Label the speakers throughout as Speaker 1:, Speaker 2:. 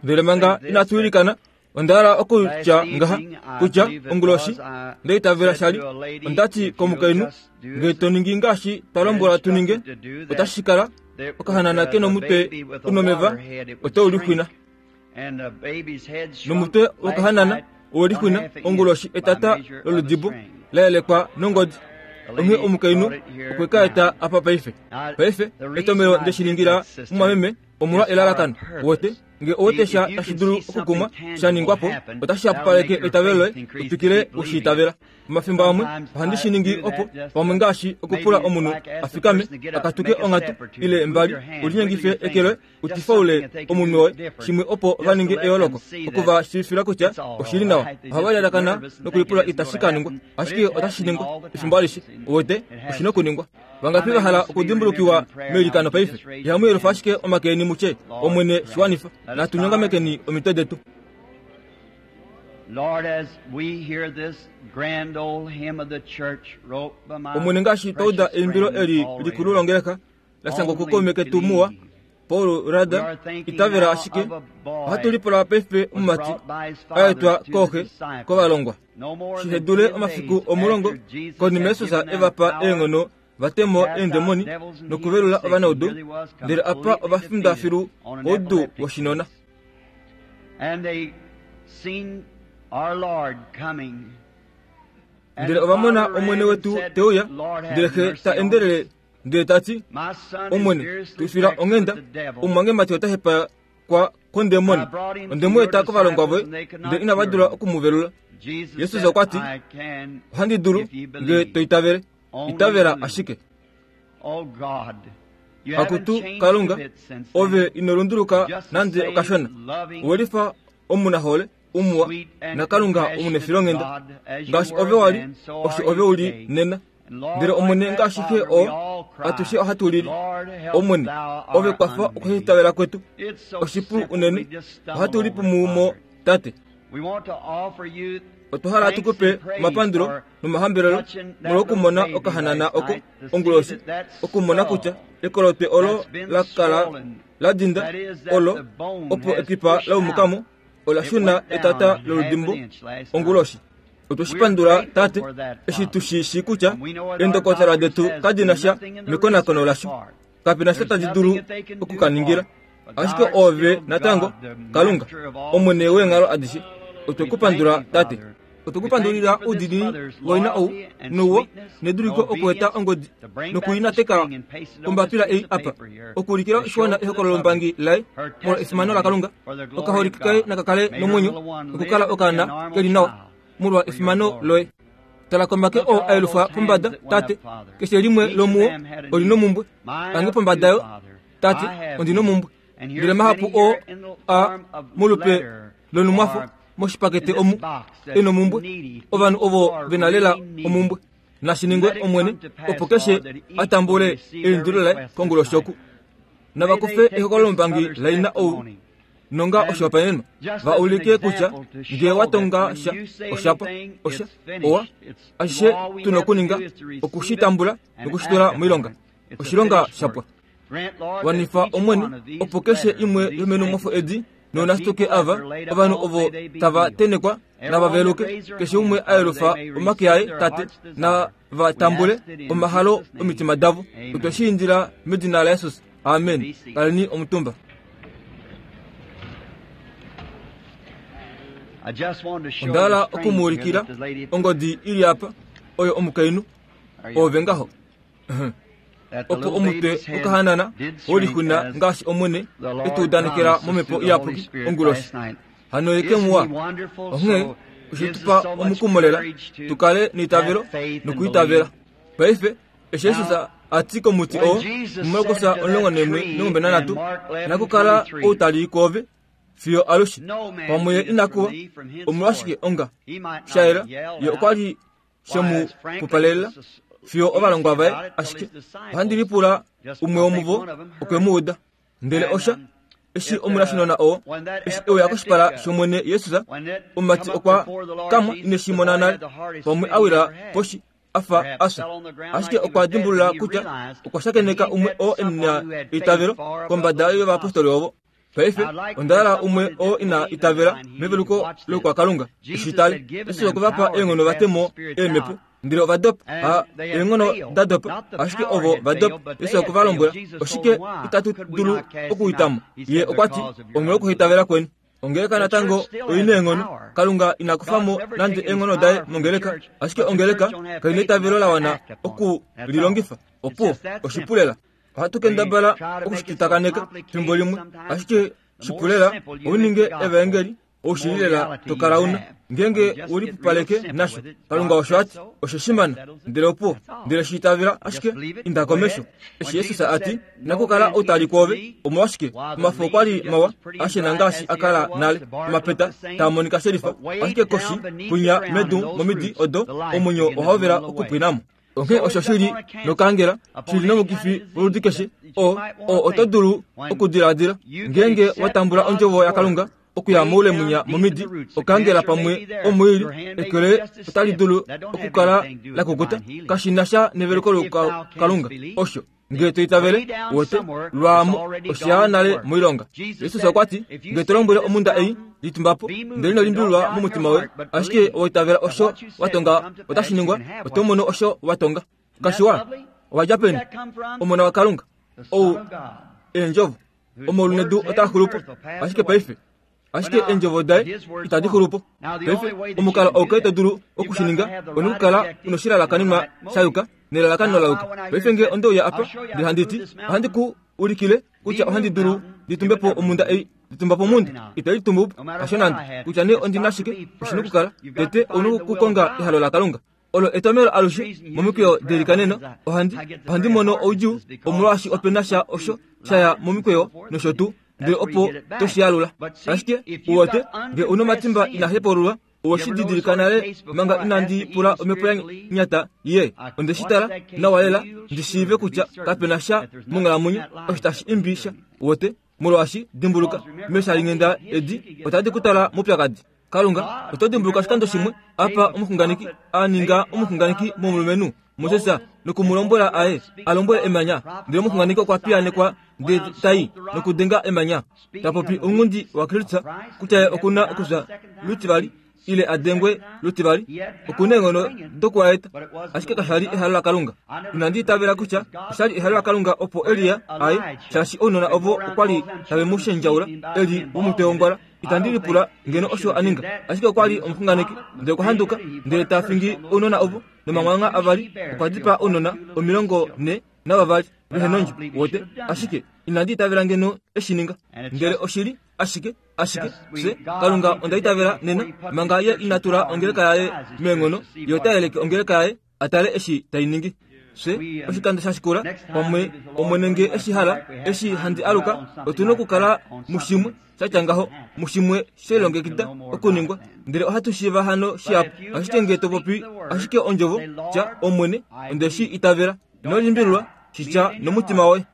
Speaker 1: Ndele manga inatu ilikana, onda hala okutya ngaha kutya onguloshi nda itavela sha li, onda ti komukainhu, Nge to ningi ngaashi twa lombwelwa tu ninge, otashi kala okahanana ke nomutwe u nomeva ote u lixwina. Nomutwe wokahanana owe lixwina onguloshi etata loludibo la yelekwa nongodi. Onghee omukainhu okwe ka eta apa paife. Paife, etomelo nde shi ningila mumwameme omolwa elalakano. Uwete? Nge owe sha tashi dulu okukumwa sha ningwa po, otashi hapupaleke eitavelo loye u twikile u shi itavela. Omafimbo amwe ohandi shi ningi opo pamwe ngaashi okupula omunhu a fikame a katuke onghatu ile mbali u linyengife eke loye u tifaule omunwe woye shimwe opo va ninge eyooloko oku va shiivifila kutya oshi li nawa. Ohava lyalakana nokulipula itashi ka ningwa, ashike otashi ningwa efimbo alishe. Uwete, oshi na okuningwa. Vangapi va hala okudimbulukiwa meilikano paife? Ihamu yelufa ashike omake eni mu tye, Omwene, shi wanifa. Natu nyongamekeni omitwe detu. Omwene ngaashi twa uda eimbilo eli likulu longeleka la shangwa kukaume ketu muwa Paul Rada, itavela ashike ohatu lipula paife omumati a etwa kooxe kovalongwa shihe dule omafiku omulongo konima Jesus e va pa eenghono va te mo eendemoni nokuvelula ovanaudu, ndele apa ova finda filu koudu woshinona. Ndele ova mona Omwene wetu te uya, ndele Xe ta endelele ndele ta ti, Omwene, tu fila onghenda, omumwangemati ota hepakwa kondemoni. Onde mu eta kovalongwa voye, ndele inava dula oku mu velula. Jesus okwa ti, Ohandi dulu, nge to itavele. Itavela ashike. Akutu Kalunga, ove ino lunduluka nande okashona. Owe lifa omunahole, umuwa, naKalunga omunefilonghenda. Ngaashi ove wa li, osho ove u li nena. Ndele Omwene ngaashi Xe oo, atushe ohatu lili. Omwene, ove kwafa okuhitavela kwetu. Oshipu unene, ohatu lipumu mo, Tate. Otwa hala tu ku pe omapandulo nomahambelelo molwokumona okahanana oko onguloshi, okumona kutya ekolotwe olo la kala la dinda olo opo ekipa la umuka mo, ola shuna etata loludimbo onguloshi. Otwe shi pandula, Tate, eshi tu shi shii kutya eendokotola detu kadi na sha mekonakono lasho. Kape na sha tadi dulu oku ka ningila. Ashike Oove natango Kalunga, Omwene weenghalo adishe. Otwe ku pandula, Tate. Otwe ku pandulila oudiinini woina ou, nouwo, neduliko okueta ongodi noku i nateka kombapila ei apa, okuulikila oshiwana ehokololombangi laye molwa efimano laKalunga. Okaholike kaye naka kale nomwenyo nokukala okaana ke li nawa molwa efimano loye. Tala komake oo a yelufwa pombada, Tate. Keshe limwe lomuo oli nomumbwe. Ange pombada yo, Tate, ondi nomumbwe. Ndele mahapu oo a molupe lonumwafo moshipakete omu e nomumbwe, ovanhu ovo ve na lela omumbwe. Nashi ningwe, Omwene, opo keshe a tambule eindilo laye konguloshi oku. Nava kufe ehokololombangi laina ou nonga oshihopaenenwa, va ulike kutya nge wa tonga sha, osha pwa, osha, owa, ashishe tu nokuninga oku shi tambula noku shi tula moilonga. Oshilonga sha pwa. Wanifa, Omwene, opo keshe imwe yomenumwafo edi nounasituke ava, ovanhu ovo tava tenekwa nava veluke, keshe umwe a yelufa omake aye, Tate, nava tambule omahalo omitima davo. Otwe shi indila medina laJesus. Amen. Kaleni omutumba. Onda hala oku mu ulikila ongodi i li apa, oyo omukainhu, oove ngaho. Opo omutwe wokahanana wolixuna ngaashi Omwene e tu udanekela momhepo iyapuki onguloshi. Hano ye ke muwa. Onghee oshe tu pa omukumo lela tu kale neitavelo nokwiitavela. Paife eshi Jesus a ti komuti oo muMarkus 11:13, Nakukala ou ta li kwoove fiyo alushe, pamwe ye ina kuwa, omolwashike onga sha yela ye okwa li she mu pupalelela fiyo ovalongwa vaye ashike ohandi lipula umwe womuvo okwe mu uda. Ndele osha eshi omunashinona oo eshi e uya koshipala shOmwene Jesus, omumati okwa kamwa ine shi mona nale, pamwe a wila poshi a fa a fya. Ashike okwa dimbulula kutya okwa shakeneka umwe oo e na eitavelo kombada yovayapostoli ovo. Paife, onda hala umwe oo ina itavela meveluko loukwakalunga, eshi tali, Jesus okwe va pa eenghono va te mo eemhepo, ndele ova dopa. Ha eenghono da dopa, ashike ovo va dopa. Jesus okwe va lombwela, Oshike itatu dulu okuita mo? Ye okwa ti, Omolwokuhaitavela kweni. Ongeleka natango oi na eenghono. Kalunga ina kufa mo nande eenghono daye mongeleka, ashike ongeleka kai na eitavelo la wana oku li longifa. Opuwo, oshipu lela. Ohatu kendabala oku shi tutakaneka fimbo limwe, ashike shipu lela u ninge evaengeli oushili lela to kala una ngeenge u lipupaleke nasho. Kalunga osho a ti, oshe shimana, ndele opuwo, ndele shi itavela ashike inda komesho. Eshi Jesus a ti, Inakukala outali kwoove, omolwashike omafo okwa li mawa ashena ngaashi a kala nale, omapeta taa monika shelifa, ashike koshi kwinya medu momidi odo omwenyo ohau vela okupwina mo. Onghee osho shi li nokaangela, shi li nomukifi woludi keshe, oo, oo oto dulu okudiladila. Ngeenge wa tambula Ondjovo yaKalunga okuya moule munya momidi, okaangela pamwe omuili, eke loye otali dulu okukala la kukuta. Kashi na sha neveluko lokalunga. Osho. Ngele to itavele, wote, lwaamo, osha ya nale moilonga. Jesus okwa ti, Ngele to lombwele omhunda ei, litumba po, ndele ino limbililwa momutima woye, ashike owa itavela osho wa tonga otashi ningwa, oto mono osho wa tonga. Kashiwa, owa dja peni? Omona waKalunga. Ou, Eendjovo. Omaulu nedu otaa xulu po, ashike paife ashike eendjovo daye itadi xulu po. Paife, omukalo auke to dulu oku shi ninga one okukala u noshilalakanenwa sha yuka nelalakano la yuka. Paife nge onde uya apa ndele handi ti, ohandi ku ulikile kutya ohandi dulu ndi tumbe po omhunda ei, ndi tumba po omhunda, itai litumbu po, hasho nande. Kutya nee ondi na shike, oshi nokukala, tete ou nokukonga ehalo laKalunga. Olo etomhelo alushe momikweyo delikaneno ohandi, ohandi mono oudjuu omolwaashi ope na sha osho sha ya momikweyo nosho tuu, ndele opo to shi alula. Ashike, uwete, nge u nomatimba ina hepaululwa, owe shi didilika nale manga inandi pula omhepo ya nyata ye. Onde shi tala nawa lela ndi shiive kutya kape na sha monghalamwenyo osho tashi imbi sha, uwete, molwaashi, dimbuluka, meeshalinghenda edi otadi ku twala moupyakadi. Kalunga, oto dimbuluka oshikando shimwe apa omuxunganeki a ninga omuxunganeki momulumenhu Moses noku mu lombwela aye a lombwele emanya, ndele omuxunganeki okwa piyaanekwa ndele ta i nokudenga emanya, ta popi ounghundi waKristus kutya ye oku na okufya lutivali ile a dengwe lutivali. Oku na eenghono dokuwaeta, ashike kasha li ehalo laKalunga. Inandi itavela kutya osha li ehalo laKalunga opo Elia aye, shaashi ounona ovo okwa li tave mu shendjaula e li womutwe wongwala. Itandi lipula ngeno osho a ninga, ashike okwa li omuxunganeki. Ndele okwa handuka, ndele ta fingi ounona ovo nomamwangha avali, okwa dipaa ounona 42 vehe nondjo. Wote, ashike inandi itavela ngeno e shi ninga. Ndele oshi li ashike, ashike, fye, Kalunga onda itavela nena, manga Ye ina tula ongeleka yaye meenghono, Ye ota yeleke ongeleka yaye a tale eshi tai ningi. Fye, oshikando sha shikula, pamwe Omwene nge eshi hala, eshi handi aluka, otu nokukala mushimwe sha tya ngaho, mushimwe she lilongekida okuningwa. Ndele ohatu shiiva hano shihapu. Ashike nge to popi ashike ondjovo, tya, Omwene, onde shi itavela. Ino limbililwa, shi tya nomutima woye.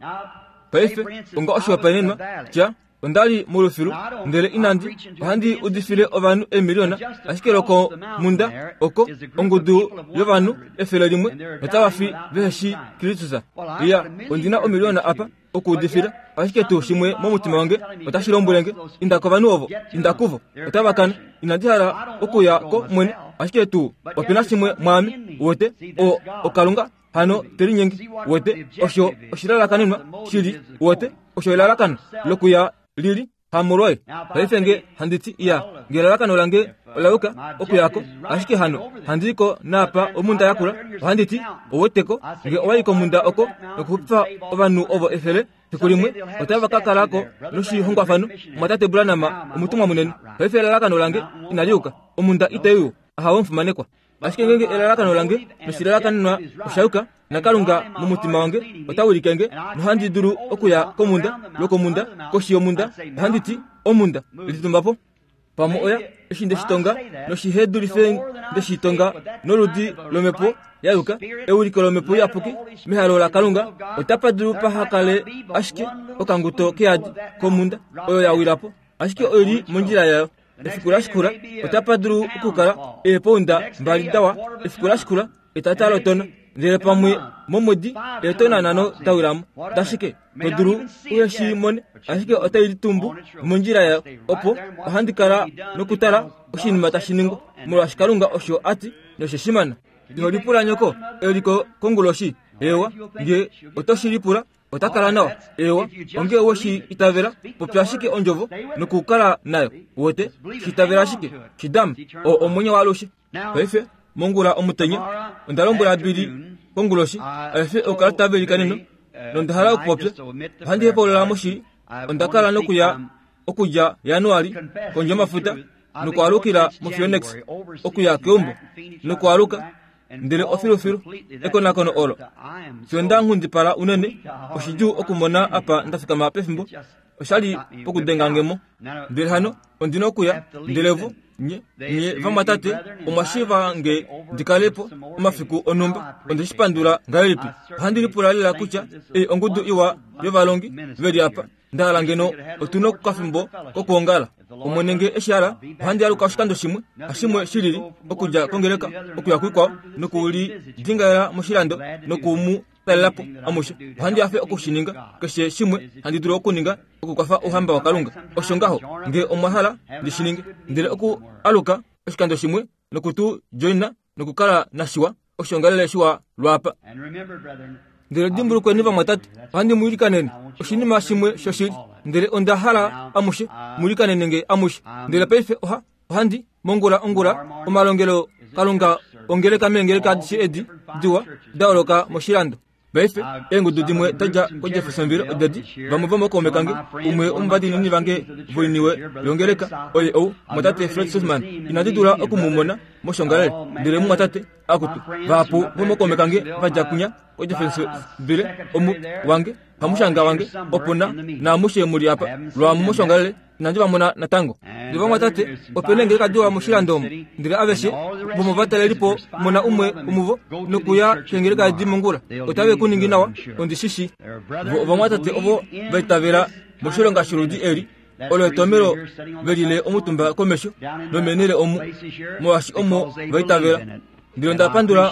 Speaker 1: Paife, onga oshihopaenenwa, tya, Onda li molufilu, ndele inandi ohandi udifile ovanhu eemiliona, ashike lokomhunda oko ongudu yovanhu 100 notava fi vehe shii Kristus. Iya, ondi na omiliona apa okuudifila, ashike tuu shimwe momutima wange otashi lombwele nge, inda kovanhu ovo, inda kuvo, otava kana. Inandi hala okuya ko mwene, ashike tuu ope na shimwe mwaame, uwete, o, oKalunga hano te linyenge wete osho oshilalakanenwa shili wete osho elalakano lokuya lili hamolwoye paife nge handi ti iya nge elalakano lange ola yuka okuya ko ashike hano handi ko naapa omunda yakula ohandi ti oweteko nge owa yi komunda oko nokuxupifa ovanhu ovo 100 fiku limwe otava ka kala ko noshihongwafano mwatate Branham omutumwa munene paife elalakano lange inali yuka omunda itai u ahawe omufimanekwa Ashike ngeenge elalakano lange noshilalakanenwa osha yuka, naKalunga momutima wange ota wilike nge, nohandi dulu okuya komhunda, lwokomhunda, koshi yomhunda, ohandi ti, Omhunda, litumba po. Pamwe oya, eshi nde shi tonga, noshihe dulife nde shi tonga noludi lomhepo ya yuka, ewiliko lomhepo iyapuki, mehalo laKalunga, otapa dulu paha kale ashike okanguto keyadi komhunda oyo ya wila po, ashike oi li mondjila yayo. Efiku la shikula otapa dulu okukala eepounda mbali dawa. Efiku la shikula etata lotona. Ndele pamwe momwedi eetona nhano da wila mo. Dashike? To dulu uhe shi mone, ashike otai litumbu mondjila yayo. Opo ohandi kala nokutala oshinima tashi ningwa, molwaashi Kalunga osho a ti, noshe shi mana. Iho lipula nyoko e li ko konguloshi? Eewa, nge oto shi lipula, ota kala nawa. Eewa, onge we shi itavela, popya ashike ondjovo nokukala nayo. Uwete? Shi itavela ashike. Shi dama. Oo omwenyo waalushe. Paife, mongula omutenya, onda lombwela Billy konguloshi, aefe okukala tave likaneno, nonda hala okupopya. Ohandi hepaulula moshili. Onda kala nokuya okudja Januali kondje yomafuta nokwaalukila moPhoenix okuya keumbo nokwaaluka ndele ofilufilu ekonakono olo fiyo nda nghundipala unene oshidjuu okumona apa nda fikama pefimbo oshali pokudenga nge mo ndele hano ondi na okuya ndele vo nye nye vamwatate omwa shiiva nge ndi kale po omafiku onhumba onde shi pandula ngahelipi ohandi lipula lela kutya ei ongudu iwa yovalongi ve li apa Nda hala ngeno otu na okafimbo kokwoongala. Omwene nge eshi hala, ohandi aluka oshikando shimwe, hashimwe shi lili, okudja kongeleka okuya kuikwao, noku li dingaela moshilando noku mu talela po amushe. Ohandi hafe oku shi ninga, keshe shimwe handi dulu okuninga okukwafa Ouhamba waKalunga. Osho ngaho, nge omwa hala ndi shi ninge. Ndele oku aluka oshikando shimwe noku tu joina nokukala nashiwa, oshiongalele shiwa lwaapa. Ndele dimbulukweni vamwatate, ohandi mu ilikanene oshinima shimwe shoshili, ndele onda hala amushe mu ilikanene nge amushe. Ndele paife oha ohandi mongula ongula omalongelo Kalunga ongeleka meengeleka adishe edi diwa da holoka moshilando. Paife, eengudu dimwe da dja koJeffersonville oda di, vamwe vomokaume kange, umwe womuvadiinini vange voiniwe yongeleka, oye ou, mumwatate Fred Sothmann. Inandi dula oku mu mona moshongalele, ndele mumwatate, akutu, vahapu vomokaume kange va dja kwinya koJeffersonville, omu, wange, hamushanga wange, opo na, naamushe mu li apa, lwaamu moshongalele. Inandi va mona natango. Ndele vamwatate, ope na eengeleka diwa moshilando omu, ndele aveshe vomovatalelipo mona umwe womuvo nokuya keengeleka edi mongula, otave ku ningi nawa, ondi shi shii. Vo ovamwatate ovo va itavela moshilonga sholudi eli, olo etomhelo ve lile omutumba komesho nomeenhele omu, molwaashi omo va itavela. Ndele onda pandula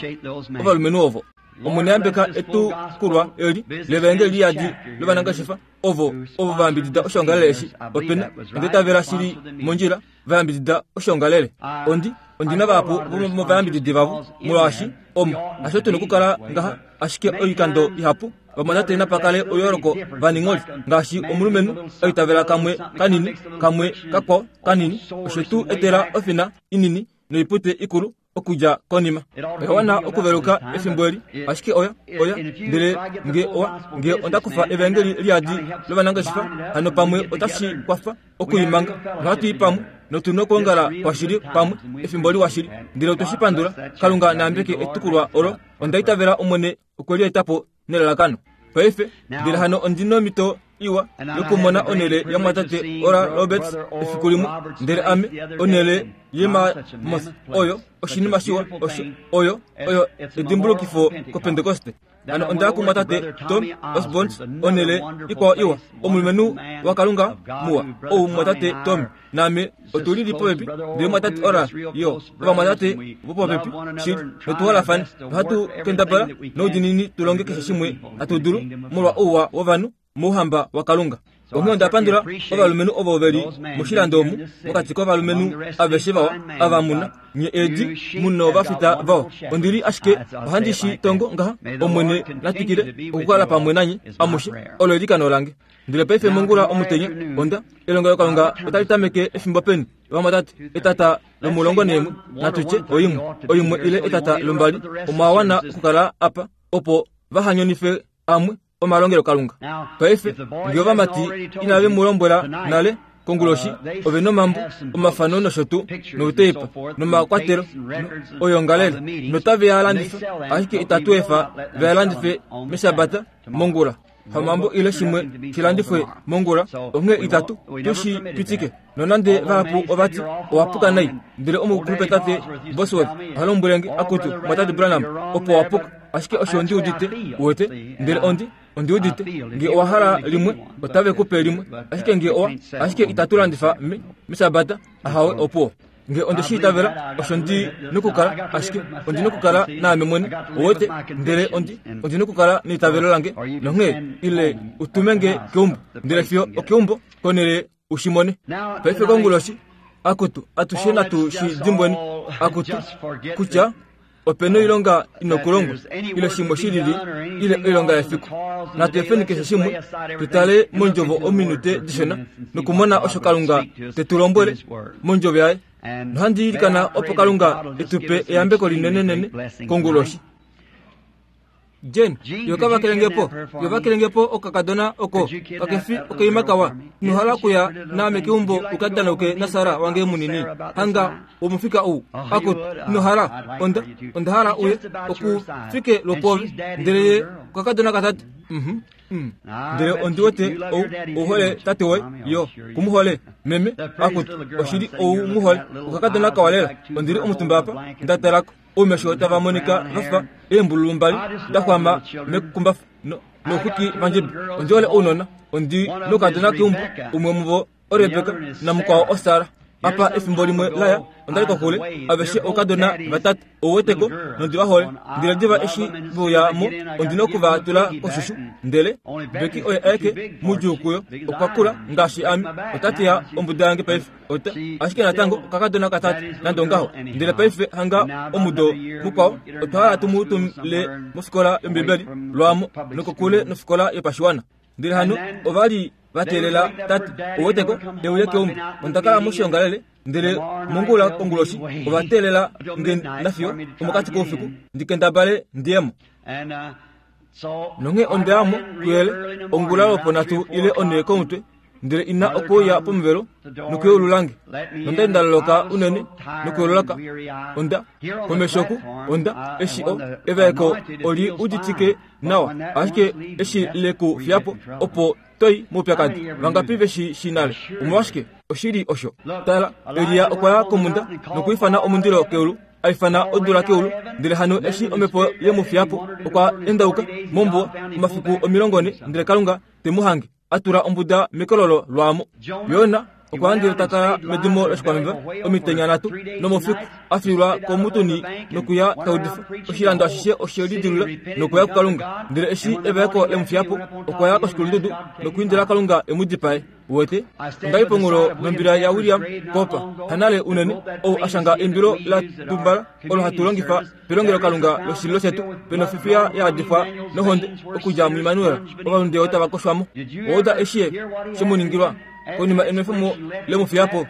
Speaker 1: ovalumenhu ovo. Omwene yambeka etukulwa eli levaengeli liyadi lovanangeshefa. ovo ovo va yambidida oshoongalele eshi ope na onda itavela shili mondjila va yambidida oshoongalele ondi ondi na vahapu vomovayambididi vavo molwaashi omo hasho tu na okukala ngaha ashike oikando ihapu vamwatate napa kale oyooloko vaningholi ngaashi omulumenhu a itavela kamwe kanini kamwe kakwao kanini oshe tu etela ofina inini noipute ikulu okudja konima. Oya wana okuveluka efimbo eli, ashike oya, oya, ndele nge owa, nge onda kufa evaengeli liyadi lovanangeshefa, hano pamwe otashi kwafa oku i manga. Nohatu i pamwe, notu nokwoongala kwashili pamwe, efimbo liwa shili. Ndele otwe shi pandula. Kalunga na yambeke etukulwa olo. Onda itavela Omwene okwe li eta po nelalakano. Paife, ndele hano ondi nomhito iwa yokumona onhele yamwatate Oral Roberts efiku limwe, ndele ame, onhele yemamoth oyo oshinima shiwa osho, oyo, oyo edimbulukifo kOpentekoste. Hano onda ya kumwatate Tom Osborne, onhele ikwao iwa, omulumenhu waKalunga muwa, ou mumwatate Tom naame otu lili popepi, ndele mwatate Oral yo, ovamwatate vopopepi shili, notu holafane, nohatu kendabala noudiinini tu longe keshe shimwe hatu dulu molwa ouwa wovanhu mouhamba waKalunga. Onghee onda pandula ovalumenhu ovo ve li moshilando omu, mokati kovalumenhu aveshe vawa ava mu na, nye eedi mu novafita vawa. Ondi li ashike ohandi shi tongo ngaha, Omwene na twikile okukala pamwe nanye amushe, olo eilikano lange. Ndele paife mongula omutenya, onda, elongelokalunga otali tameke efimbo peni, vamwatate? Etata lomulongo neemwe, natu tye oimwe, oimwe ile etata lombali, omwa wana okukala apa, opo vaha nyonife amwe omalongelokalunga. Paife, nge ovamati inave mu lombwela nale, konguloshi, ove nomambo, omafano nosho tuu, nouteipa, nomakwatelo, oyoongalele, notave a landifa, ashike itatu efa ve a landife mEshabata mongula. Hamambo ile shimwe shi landifwe mongula, onghee itatu tu shi pitike. Nonande vahapu ova ti, Owa puka nai, ndele omukulupe tate Bosworth oha lombwele nge, Akutu, mwatate Branham, opo wa puka. Ashike osho ndi udite, uwete. Ndele ondi, ondi udite, nge owa hala limwe, otave ku pe limwe. Ashike nge owa, ashike itatu landifa me, mEshabata, ahawe, opuwo. Nge onde shi itavela, osho ndi nokukala, ashike ondi nokukala naame mwene, uwete, ndele ondi, ondi nokukala neitavelo lange, nonghee, ile u tume nge keumbo, ndele fiyo okeumbo, konhele u shi mone. Paife konguloshi, akutu, atushe natu shi dimbweni, akutu, kutya ope noilonga inokulongwa ile shimwe shi lili ile oilonga yefiku. Natu efeni keshe shimwe, tu tale mondjovo ominute dishona nokumona osho Kalunga te tu lombwele mondjovo yaye. Nohandi ilikana opo Kalunga e tu pe eyambeko linenenene konguloshi. Jane, yo ka vakelenge po, yo vakelenge po okakadona oko kake fi okaima kawa. Ino hala okuya naame keumbo u ka danauke naSara wange munini? Hanga womufika ou. Akut, ino hala? Onda, onda hala uye oku fike lwopoove. Ndele ye okakadona katate. Mhm. Mm. Ndele ondi wete ou, ou hole tate woye, yo, ku mu hole. Meme, akut, oshili ou mu hole. Okakadona kawa lela. Ondi li omutumba apa, nda talako. Oumesho tava monika va fa eembululu mbali da xwama mekumbafa no, nouxwiki vandjebe. Ondi hole ounona. Ondi nokadona keumbo, umwe womuvo oRebeka namukwao oSara. Apa efimbo limwe la ya, onda li kokule, aveshe oukadona vatate, ou weteko, nondi va hole. Ndele diva eshi ve uya mo, ondi noku va tula koshushu. Ndele Becky oye aeke mudjuu kuyo, okwa kula ngaashi ame, ota teya ombuda yange paife. Ota, ashike natango okakadona katate, nande ongaho. Ndele paife hanga omudo mukwao, otwa hala tu mu tumile mofikola yOmbibeli lwaamo nokokule nofikola yopashiwana. Ndele hano ova li va teelela tate, ouweteko, e uye keumbo. Onda kala moshiongalele, ndele mongula konguloshi ova teelela nge nafiyo omokati koufiku ndi kendabale ndi ye mo. Nonghee onda ya mo kuyele ongula lwoponhatu ile onhee komutwe, ndele ina okuuya pomuvelo nokuyeulula nge. Nonda li nda loloka unene nokuyeululaka. Onda, komesho oku, onda, eshi o, evaeko oli uditike nawa, ashike eshi le ku fiya po, opo to i moupyakadi. Vangapi ve shi shii nale? Omolwashike, oshili osho. Tala, Elia okwa ya komhunda nokwiifana omundilo keulu. a ifana odula keulu, ndele hano eshi omhepo ye mu fiya po, okwa endauka mombuwa omafiku 40, ndele Kalunga te mu hange a tula ombuda mekololo lwaamo. Jona okwa hangile ta kala medimo loshikwameva omitenya nhatu nomoufiku, a fiilwa komutuni nokuya ta udifa. Oshilando ashishe oshe lidilula nokuya kuKalunga. Ndele eshi evaeko le mu fiya po, okwa ya koshikulundudu nokwiindila Kalunga e mu dipae. Uwete, onda li ponghulo nombila yaWilliam Cowper, hanale unene, ou a shanga eimbilo la tumbala olo hatu longifa pelongelokalunga loshililo shetu, pe nofifiya ya yadifwa nohonde okudja muImmanuel, ovalunde otava koshwa mo. Owa uda eshi ye she mu ningilwa? Konima enwefemo le mu fiya po,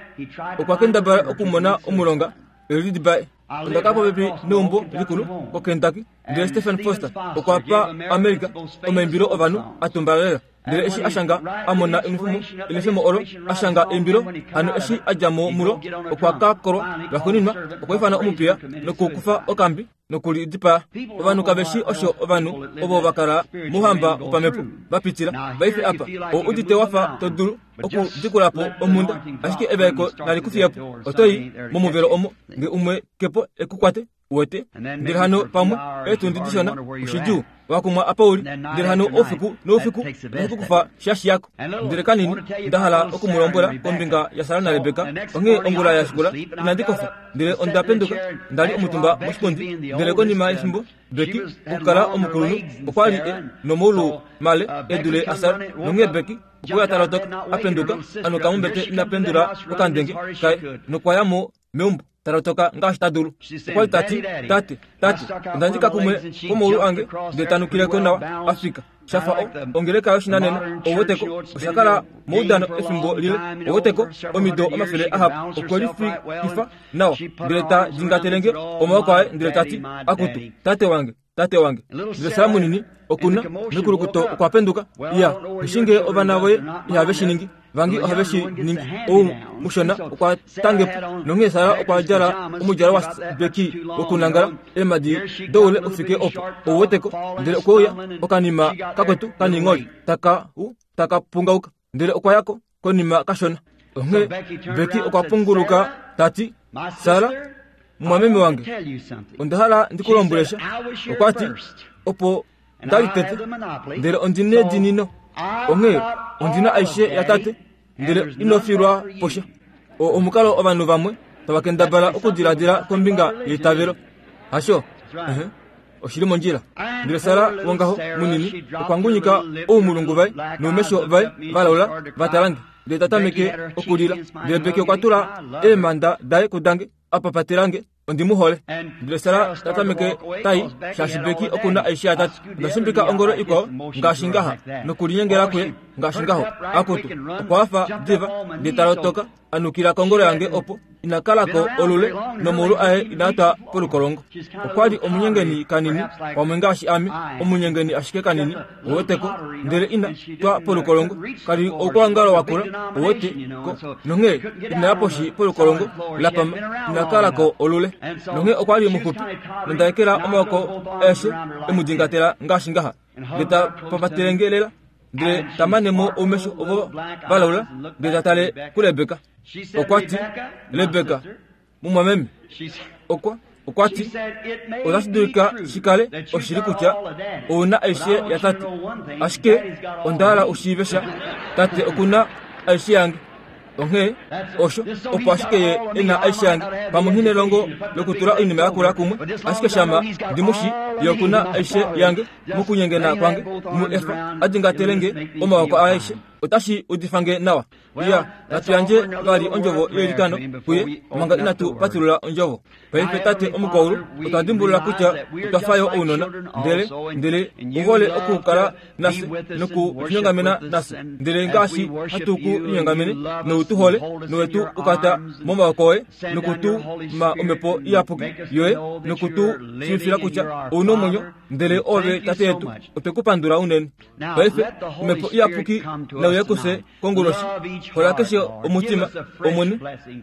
Speaker 1: okwa kendabala okumona omulonga e lidipae. Onda kala popepi neumbo likulu koKentucky, ndele Stephen Foster okwa pa America omaimbilo ovanhu a tumbala lela. Ndele eshi a shanga a mona enwefemo, enwefemo olo a shanga eimbilo, hano eshi a dja mo mulo, okwa ka kolwa. Lwaxuuninwa, okwa ifana omupiya nokukufa okambi noku li dipaa. Ovanhu kave shii osho ovanhu ovo va kala mouhamba wopamhepo va pitila. Paife apa, ou udite wa fa to dulu okudikula po omhunda, ashike evaeko nali ku fiye po. Oto i momuvelo omo, nge umwe ke po e ku kwate. Uwete? Ndele hano pamwe eetundi dishona, oshidjuu, wa kumwa apa u li. Ndele hano oufiku noufiku otashi ku kufa sha shiyako. Ndele kanini, nda hala oku mu lombwela kombinga yaSara naRebeka. Onghee ongula ya shikula, inandi kofa, ndele onda penduka, nda li omutumba moshipundi. Ndele konima yefimbo, Becky, okukala omukulunhu, okwa li e nomaulu male e dule aSara. Nonghee Becky okwe uya ta lotoka, a penduka, a nuka mombete ina pendula okandenge kaye, nokwa ya mo meumbo ta lotoka ngaashi ta dulu. Okwa li ta ti, Tate, tate, onda ndjika kumwe kwomaulu ange ndele ta nukile ko nawa a fika. Sha fa o, ongeleka yoshinanena, ou weteko, osha kala moudano efimbo lile, ou weteko, omido omafele ahapu. Okwe lifikifa nawa, ndele ta dingatele nge omaoko aye ndele ta ti, Akutu, tate wange, tate wange. Ndele Sara munini oku na mekulukuto okwa penduka. Iya, nghi ovana voye ihave shi ningi. Vangi ohave shi ningi. Ou mushona okwa tange po. Nonghee Sara okwa djala omudjalo waBecky wokunangala, eemhadi doule u fike opo, ou weteko. Ndele okwe uya okanima kakwetu kaningholi taka u taka pungauka. Ndele okwa ya ko konima kashona. Onghee Becky okwa punguluka ta ti, Sara, mumwameme wange, onda hala ndi ku lombwele sha. Okwa ti, Opo nda li tete, ndele ondi nedinino. Onghee ondi na aishe yatate, ndele ino filwa po sha. Oo omukalo ovanhu vamwe. Tava kendabala okudiladila kombinga yeitavelo. Hasho? Uh-huh. Oshi li mondjila. Ndele Sara wongaho munini okwa ngunyika oumulungu vaye noumesho vaye valaula va tala nge. Ndele ta tameke okulila. Ndele Becky okwa tula eemhanda daye kudange a papatela nge. Ondi mu hole. Ndele Sara ta tameke tai, shaashi Becky oku na aishe yatate. Onda shimbika ongolo ikwao ngaashi ngaha, nokulinyengela kuye ngaashi ngaho. Akutu, okwa hafa diva, ndele ta lotoka, a nukila kongolo yange opo ina kala ko olule nomaulu aye inaa twa polukolongo. Okwa li omunyengeni kanini, pamwe ngaashi ame, omunyengeni ashike kanini, uwete ko, ndele ina twa polukolongo. Ka li oukwangalo wa kula, uwete ko, nonghee ina ya poshi polukolongo la pama, ina kala ko olule. Nonghee okwa li muxupi, nonda ekela omaoko aeshe e mu dingatela ngaashi ngaha, ndele ta papatele nge lela, ndele ta mane mo oumesho ovo va laula, ndele ta tale kuRebeka. Okwa ti, Rebeka, mumwameme, okwa okwa ti, otashi dulika shi kale oshili kutya ou na aishe yatate, ashike onda hala u shiive sha, tate oku na aishe yange. Onghee osho opo ashike ye e na aishe yange. Pamwe nghi nelongo lokutula oinima yakula kumwe, ashike shama ndi mu shi, ye oku na aishe yange. Mokunyengena kwange, mu efa a dingatele nge omaoko aeshe. Otashi udifa nge nawa. Iya, natu yandje vali ondjovo yeilikano kuye manga inatu patulula ondjovo. Paife Tate omukwaulu, otwa dimbulula kutya otwa fa yo ounona, ndele, ndele u hole okukala nafye nokulinyongamena nafye. Ndele ngaashi hatu ku linyongamene, nou tu hole, nowe tu kwata momaoko oye, noku tu ma Omhepo Iyapuki yoye, noku tu shiivifila kutya ou na omwenyo, ndele Oove Tate yetu, otwe ku pandula unene. Paife, Omhepo Iyapuki nauye kufye konguloshi. Hola keshe omutima, Omwene.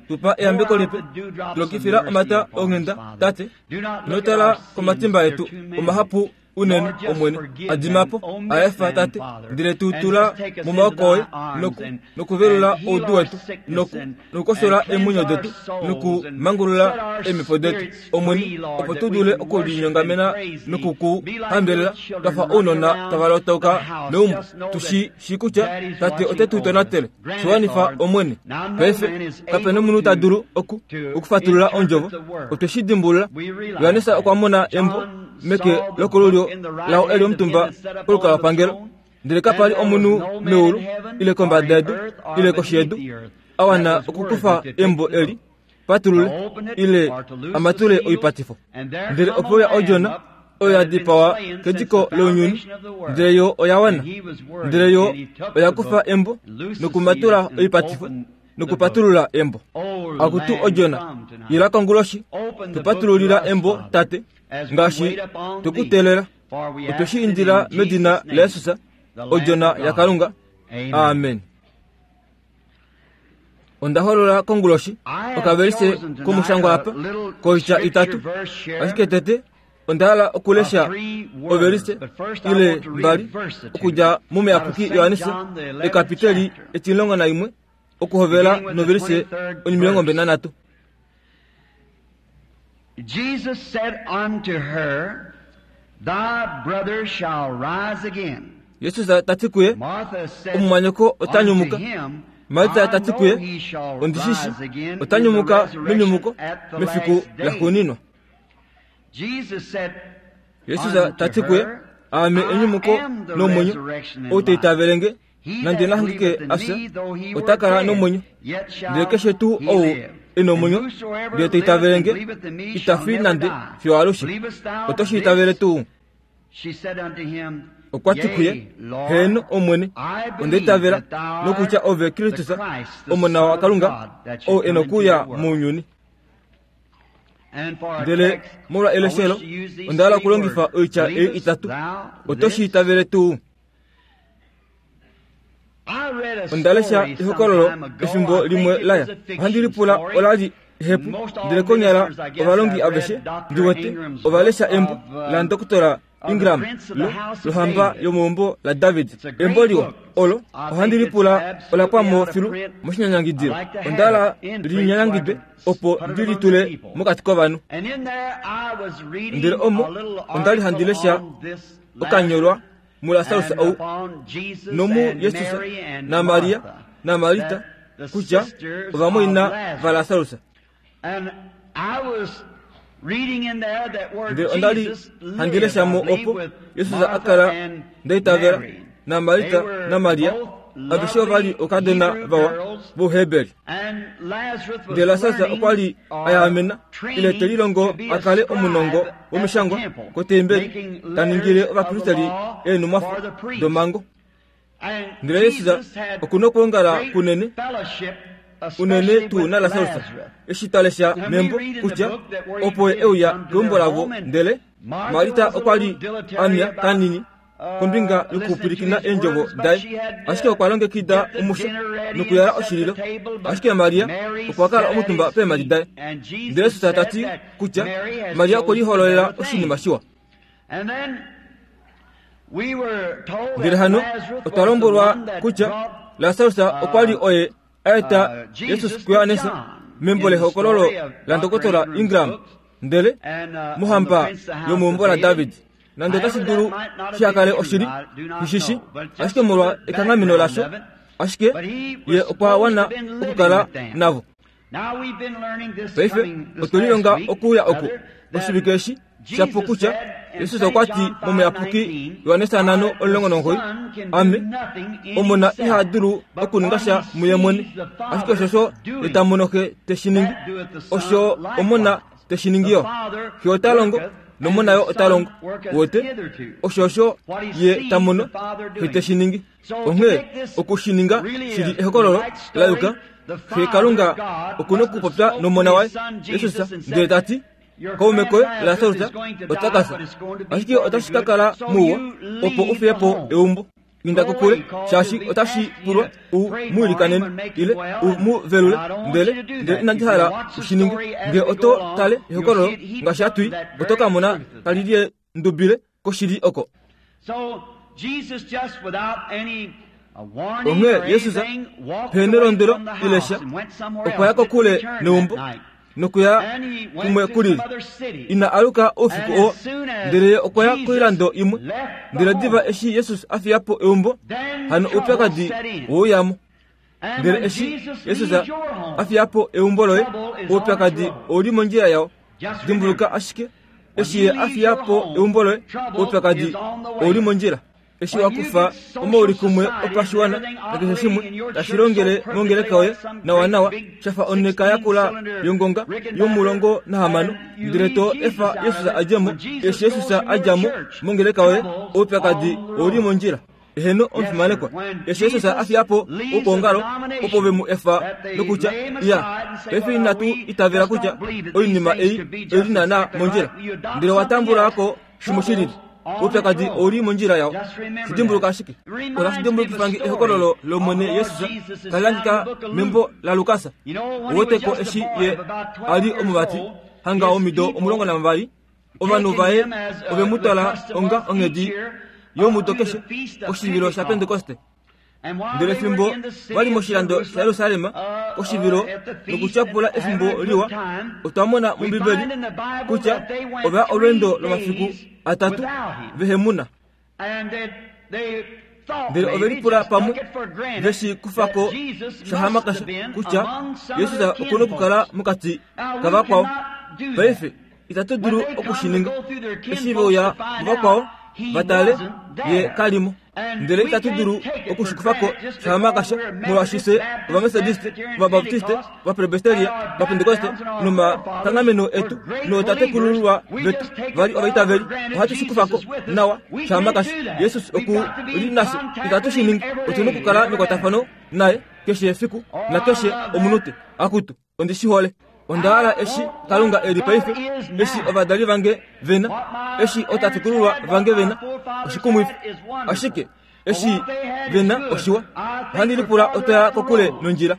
Speaker 1: Tu pa eyambeko lipe. Tu lokifila omata onghenda, Tate. Ino tala komatimba etu omahapu unene, Omwene. A dima po, a efa, Tate. Ndele tu tula momaoko oye, noku, nokuvelula oudu wetu, noku, nokukoshola eemwenyo detu, nokumangulula eemhepo detu, Omwene, opo tu dule okulinyongamena noku ku hambelela twa fa ounona tava lotauka meumbo, tu shi shii kutya Tate ote tu tonatele. Shi wanifa, Omwene. Paife, kape nomunhu ta dulu oku, okufatulula Ondjovo. Otwe shi dimbulula. Johannes okwa mona embo meke lokolulyo lao e li omutumba kolukalwapangelo. Ndele kapa li omunhu meulu, ile kombada yedu, ile koshi yedu, a wana okukufa embo eli, patulule, ile a matule oipatifo. Ndele ope uya Odjona, oyo ya dipawa kediko lounyuni, ndele yo oya wana. Ndele yo oya kufa embo nokumatula oipatifo nokupatulula embo. Akutu Odjona, ila konguloshi, tu patululila embo, Tate, ngaashi twe ku teelela. Otwe shi indila medina laJesus, Odjona yaKalunga. Amen. Onda holola konguloshi okavelise komushangwa apa koitya itatu, ashike tete onda hala okulesha ovelise ile mbali okudja mOmuyapuki Johannes ekapiteli etimulongo naimwe okuhovela novelise onimilongo mbali nanhatu.
Speaker 2: Jesus said unto her, Thy brother shall rise again.
Speaker 1: Jesus ta ti kuye,
Speaker 2: Martha said
Speaker 1: Omumwanyoko ota
Speaker 2: unto
Speaker 1: nyumuka.
Speaker 2: him,
Speaker 1: Marta
Speaker 2: I
Speaker 1: ta ti
Speaker 2: know
Speaker 1: kuye,
Speaker 2: he shall
Speaker 1: Ondi shi shi,
Speaker 2: rise again
Speaker 1: ota
Speaker 2: in the
Speaker 1: nyumuka
Speaker 2: resurrection
Speaker 1: menyumuko
Speaker 2: at the
Speaker 1: mefiku
Speaker 2: last day.
Speaker 1: laxuuninwa.
Speaker 2: Jesus said
Speaker 1: Jesus
Speaker 2: unto
Speaker 1: ta ti kuye,
Speaker 2: her,
Speaker 1: Aame
Speaker 2: I
Speaker 1: enyumuko
Speaker 2: am the
Speaker 1: nomwenyo,
Speaker 2: resurrection and
Speaker 1: ou ta
Speaker 2: life.
Speaker 1: itavele nge,
Speaker 2: He
Speaker 1: nande
Speaker 2: that
Speaker 1: na hangike
Speaker 2: believeth in
Speaker 1: a fya,
Speaker 2: me, though he
Speaker 1: ota
Speaker 2: were
Speaker 1: kala
Speaker 2: dead,
Speaker 1: nomwenyo.
Speaker 2: yet shall
Speaker 1: Ndele keshe tuu
Speaker 2: he
Speaker 1: ou
Speaker 2: live.
Speaker 1: e na
Speaker 2: And
Speaker 1: omwenyo,
Speaker 2: whosoever
Speaker 1: ndele ta itavele
Speaker 2: liveth and
Speaker 1: nge,
Speaker 2: believeth in me
Speaker 1: ita
Speaker 2: shall
Speaker 1: fi
Speaker 2: never
Speaker 1: nande
Speaker 2: die.
Speaker 1: fiyo alushe.
Speaker 2: Believest thou
Speaker 1: Oto shi itavele
Speaker 2: this?
Speaker 1: tuu?
Speaker 2: She said unto him,
Speaker 1: Okwa ti kuye,
Speaker 2: Yea, Lord,
Speaker 1: Heeno, Omwene,
Speaker 2: I
Speaker 1: onda
Speaker 2: believe
Speaker 1: itavela
Speaker 2: that thou
Speaker 1: nokutya
Speaker 2: art
Speaker 1: ove
Speaker 2: the
Speaker 1: Kristus,
Speaker 2: Christ, the
Speaker 1: Omona
Speaker 2: Son of
Speaker 1: waKalunga,
Speaker 2: God, that should
Speaker 1: ou e
Speaker 2: come
Speaker 1: na
Speaker 2: into
Speaker 1: okuuya
Speaker 2: the world.
Speaker 1: mounyuni.
Speaker 2: And for a
Speaker 1: Ndele
Speaker 2: text,
Speaker 1: molwa
Speaker 2: I wish
Speaker 1: eleshelo,
Speaker 2: to use these
Speaker 1: onda hala
Speaker 2: three
Speaker 1: okulongifa
Speaker 2: words.
Speaker 1: oitya ei
Speaker 2: Believest
Speaker 1: itatu.
Speaker 2: thou
Speaker 1: Oto shi
Speaker 2: this?
Speaker 1: itavele tuu?
Speaker 2: I read a
Speaker 1: Onda lesha
Speaker 2: story some
Speaker 1: ehokololo
Speaker 2: time ago.
Speaker 1: efimbo
Speaker 2: I think
Speaker 1: limwe
Speaker 2: it was
Speaker 1: laya.
Speaker 2: a fiction
Speaker 1: Ohandi lipula
Speaker 2: story.
Speaker 1: ola li ehepu,
Speaker 2: Most all
Speaker 1: ndele konyala
Speaker 2: ministers, I guess,
Speaker 1: ovalongi
Speaker 2: have
Speaker 1: aveshe
Speaker 2: read Dr.
Speaker 1: ndi wete
Speaker 2: Ingram's
Speaker 1: ova lesha
Speaker 2: book
Speaker 1: embo
Speaker 2: of,
Speaker 1: la Dr.
Speaker 2: of the
Speaker 1: Ingram
Speaker 2: Prince of the
Speaker 1: lo
Speaker 2: House of
Speaker 1: lohamba
Speaker 2: David.
Speaker 1: yomeumbo laDavid.
Speaker 2: It's a great
Speaker 1: Embo liwa
Speaker 2: book.
Speaker 1: olo
Speaker 2: I
Speaker 1: ohandi
Speaker 2: think it's
Speaker 1: lipula ola
Speaker 2: absolutely
Speaker 1: pwa mo
Speaker 2: out of
Speaker 1: filu
Speaker 2: print.
Speaker 1: moshinyanyangidilo.
Speaker 2: I'd like to have
Speaker 1: Onda hala
Speaker 2: it in
Speaker 1: li
Speaker 2: print so I
Speaker 1: nyanyangidwe
Speaker 2: can
Speaker 1: opo
Speaker 2: put it
Speaker 1: ndi
Speaker 2: among
Speaker 1: li
Speaker 2: the
Speaker 1: tule
Speaker 2: people.
Speaker 1: mokati kovanhu.
Speaker 2: And in there I was reading
Speaker 1: Ndele omo
Speaker 2: a little
Speaker 1: onda li handi
Speaker 2: article
Speaker 1: lesha
Speaker 2: on this
Speaker 1: okanyolwa
Speaker 2: Lazarus
Speaker 1: muLasarus
Speaker 2: and
Speaker 1: ou
Speaker 2: upon Jesus
Speaker 1: nomu
Speaker 2: and
Speaker 1: Jesus
Speaker 2: Mary and
Speaker 1: naMaria
Speaker 2: Martha,
Speaker 1: naMarita
Speaker 2: that the
Speaker 1: kutya
Speaker 2: sisters of
Speaker 1: ovamwaina
Speaker 2: Lazarus.
Speaker 1: vaLasarus. Ndele onda li handi lesha mo opo Jesus a kala nda itavela naMarta naMaria, aveshe ova li oukadona vawa vOuheberi. Ndele Lasarus okwa li a yaamena ile te lilongo a kale omunongo womishangwa kotembeli, ta ningile ovapristeri eenhumwafo domhango. Ndele Jesus oku na okwoongala kunene, unene tuu naLasarus, eshi twa lesha membo kutya opo e uya keumbo lavo ndele Marita okwa li a mya kanini kombinga yokupwilikina eendjovo daye, ashike okwa longekida omusha nokuyala oshililo, ashike Maria okwa kala omutumba peemhadi daye. Ndele Jesus ta ti kutya Maria okwe lihololela oshinima shiwa. Ndele hano otwa lombwelwa kutya Lasarus okwa li oye a eta Jesus kuJohannes membo lehokololo laNdokotola Ingram, ndele mohamba yomeumbo laDavid. Nande otashi dulu shiha kale oshili, nghi shi, ashike molwa ekanghameno lasho, ashike ye okwa wana okukala navo. Paife otwe lilonga okuuya oku oshivike eshi sha pu kutya Jesus okwa ti mOmuyapuki Johannes 5:19, Ame, Omona iha dulu okuninga sha muye mwene, ashike oshosho ye ta mono Xe te shi ningi, osho Omona te shi ningi yo. Xe ota longo, nOmona yo ota longo. Wote, oshosho ye ta mono Xe te shi ningi. Onghee oku shi ninga shili ehokololo la yuka, Xe Kalunga oku nokupopya nOmona waye, Jesus, ndele ta ti, Kaume koye Lasarus ota ka fya, ashike otashi ka kala muwa opo u fiye po eumbo. Inda kokule, shaashi otashi pulwa u mu ilikanene ile u mu velule, ndele ndele inandi hala u shi ninge. Nge oto tale ehokololo ngaashi hatu i, oto ka mona tali liye ndubile koshili oko. Onghee Jesus pe nelondwelo ile sha, okwa ya kokule neumbo nokuya kumwe ku lili. Ina aluka oufiku oo, ndele ye okwa ya koilando imwe. Ndele diva eshi Jesus a fiya po eumbo, hano oupyakadi we mo. Ndele eshi Jesus a fiya po eumbo loye, oupyakadi ou li mondjila yao. Dimbuluka ashike, eshi ye a fiya po eumbo loye, oupyakadi ou li mondjila. Eshi wa kufa omaulikumwe opashiwana nakeshe shimwe tashi longele mongeleka yoye nawanawa, sha fa onheka yakula yongonga yomulongo nahamano, ndele to efa Jesus a dje mo, eshi Jesus a dja mo mongeleka yoye, oupyakadi ou li mondjila. Eheno, omufimanekwa. Eshi Jesus a fiya po okwoongalo, opo ve mu efa nokutya, Ya, paife inatu itavela kutya oinima ei oi li naanaa mondjila. Ndele wa tambula ko shimwe shi lili. Oupyakadi ou li mondjila yao. Shi dimbuluka ashike. Otashi dimbulukifa nge ehokololo lOmwene Jesus tali hangika membo laLukas. Ou wete ko eshi ye a li omuvati hanga womido 12, Ovanhu vaye ove mu twala onga onghedi yomudo keshe koshivilo shaPentekoste. Ndele fimbo va li moshilando shaJerusalem koshivilo nokutyapula efimbo liwa, otwa mona mOmbibeli kutya ova ya olweendo lomafiku atatu vehe mu na. Ndele ove lipula pamwe ve shi kufa ko shahamakasha kutya Jesus oku na okukala mokati kavakwao. Paife itatu dulu oku shi ninga. Eshi ve uya muvakwao va tale, ye ka li mo. Ndele itatu dulu oku shi kufa ko shahamakasha, molwaashi fye Ovametodiste, Ovabaptiste, Ovapresbiteria, Ovapentekoste nomakanghameno etu nootatekulululwa vetu va li ovaitaveli, ohatu shi kufa ko nawa shahamakasha. Jesus oku li nafye. Itatu shi ningi. Otu na okukala mekwatafano naye keshe efiku nakeshe omunute. Akutu, ondi shi hole. Onda hala eshi Kalunga e li paife, eshi ovadali vange ve na, eshi ootatekulululwa vange ve na, oshikumwifi. Ashike eshi ve na oshiwa. Ohandi lipula otwa ya kokule nondjila.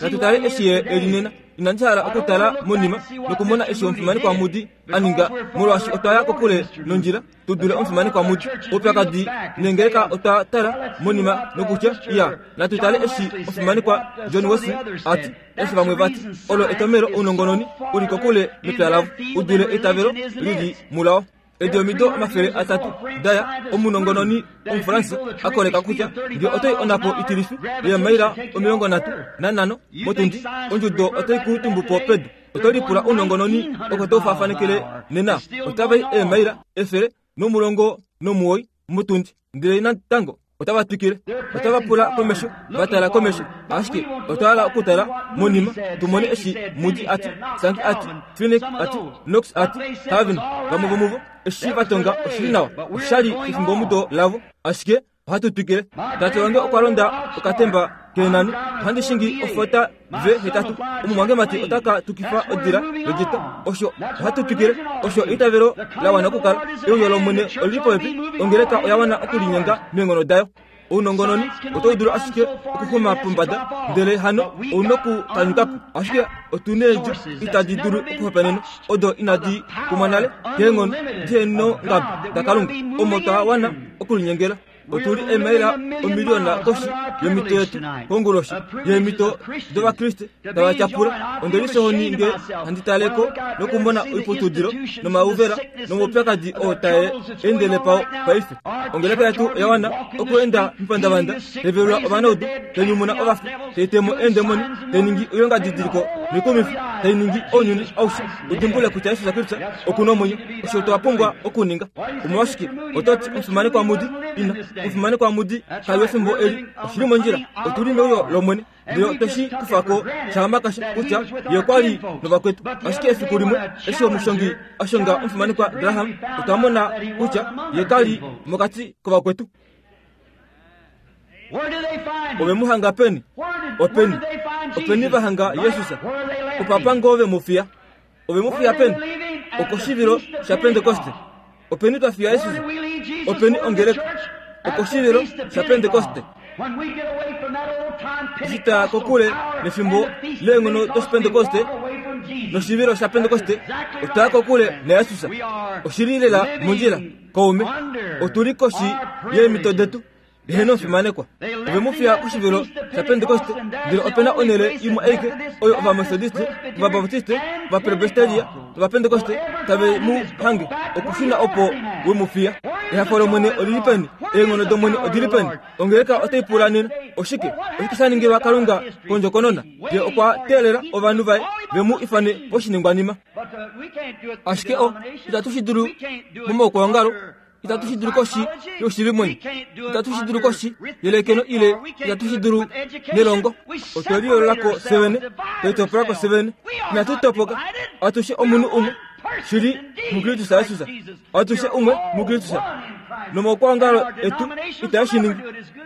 Speaker 1: Natu tale eshi ye e li nena. Inandi hala okutala monima nokumona eshi omufimanekwa Moody a ninga, molwaashi otwa ya kokule nondjila tu dule omufimanekwa Moody. Oupyakadi nengeleka otwa tala monima nokutya, Iya, natu tale eshi omufimanekwa John Wesley a ti, eshi vamwe va ti, Olo etomelo ounongononi u li kokule mepya lavo, u dule eitavelo li li mulao. Edi omido 300 daya omunongononi Omufaransa a koleka kutya nge otai onhapo itilifi yeemaila 35 motundi, ondjudo otai ku tumbu po pedu. Oto lipula ounongononi oko tau faafanekele nena? Otava i eemaila 119 motundi, ndele natango otava twikile. Otava pula komesho, va tala komesho, ashike otwa hala okutala monima tu mone eshi Moody a ti, Sankey a ti, Finney a ti, Knox a ti, Calvin, vamwe vomuvo. Eshi va tonga oshili nawa, osha li efimbomudo lavo, ashike ohatu twikile. Tate wange okwa londa okatemba keenani, ohandi shingi ofota V8. Omumwangemati ota ka tukifa odila yodjita. Osho ohatu twikile. Osho eitavelo la wana okukala. Euyo lOmwene oli li popepi. Ongeleka oya wana okulinyenga meenghono dayo. Ounongononi otau dulu ashike okuxuma pombada, ndele hano ou nokukanyuka po. Ashike otu needjo itadi dulu okuhopaenenwa, odo inadi kumwa nale keenghono dihenongabe daKalunga, omo twa wana okulinyengela. Otu li eemaila omiliyona koshi yomito yetu konguloshi yeemhito dOvakriste tava tyapula. Onde lisohoni nge handi tale ko nokumona oiputudilo nomauvela nomaupyakadi oo tae endele pao paife. Ongeleka yetu oya wana okuenda mepandavanda, tai velula ovanaudu, tai nyumuna ovafi, tai te mo eendemoni, tai ningi oilongadidiliko noikumifi, tai ningi ounyuni aushe u dimbulule kutya Jesus Kristus oku na omwenyo. Osho twa pumbwa okuninga. Omolwashike oto ti omufimanekwa Mudi? Ina, omufimanekwa Mudi kali wefimbo eli. Oshi li mondjila. Otu li meuyo lOmwene. Ndele otwe shi kufa ko shahamakasha kutya ye okwa li novakwetu. Ashike efiku limwe eshi omushongi a shonga omufimanekwa Graham, otwa mona kutya ye ka li mokati kovakwetu. Ove mu hanga peni? Openi? Openi va hanga Jesus? Opapa ngoo ve mu fiya? Ove mu fiya peni? Okoshivilo shaPentekoste. Openi twa fiya Jesus? Openi ongeleka? Okoshivilo shaPentekoste. Eshi twa kokule nefimbo leenghono dOshipentekoste noshivilo shaPentekoste, otwa ya kokule naJesus. Oshi li lela mondjila, kaume. Otu li koshi yeemhito detu. Eheno omufimanekwa, ove mu fiya koshivilo shaPentekoste, ndele ope na onhele imwe aike oyo Ovametodiste, Ovabaptiste, Ovapresbiteria nOvapentekoste tave mu hange, okushuna opo we mu fiya. Ehafo lOmwene oli li peni? Eenghono dOmwene odi li peni? Ongeleka otai pula nena, Oshike? Oshike sha ningilwa Kalunga kondjokonona? Ye okwa teelela ovanhu vaye ve mu ifane poshiningwanima. Ashike o, itatu shi dulu momaukwaongalo. Itatu shi dulu koshi yoshivimwenyo, itatu shi dulu koshi yelekeno ile itatu shi dulu nelongo. Otwe liyoolola ko fye vene, twe litopola ko fye vene. Inatu topoka, atushe omunhu umwe shili muKristus Jesus, atushe umwe muKristus. Nomaukwaongalo etu itae shi ningi,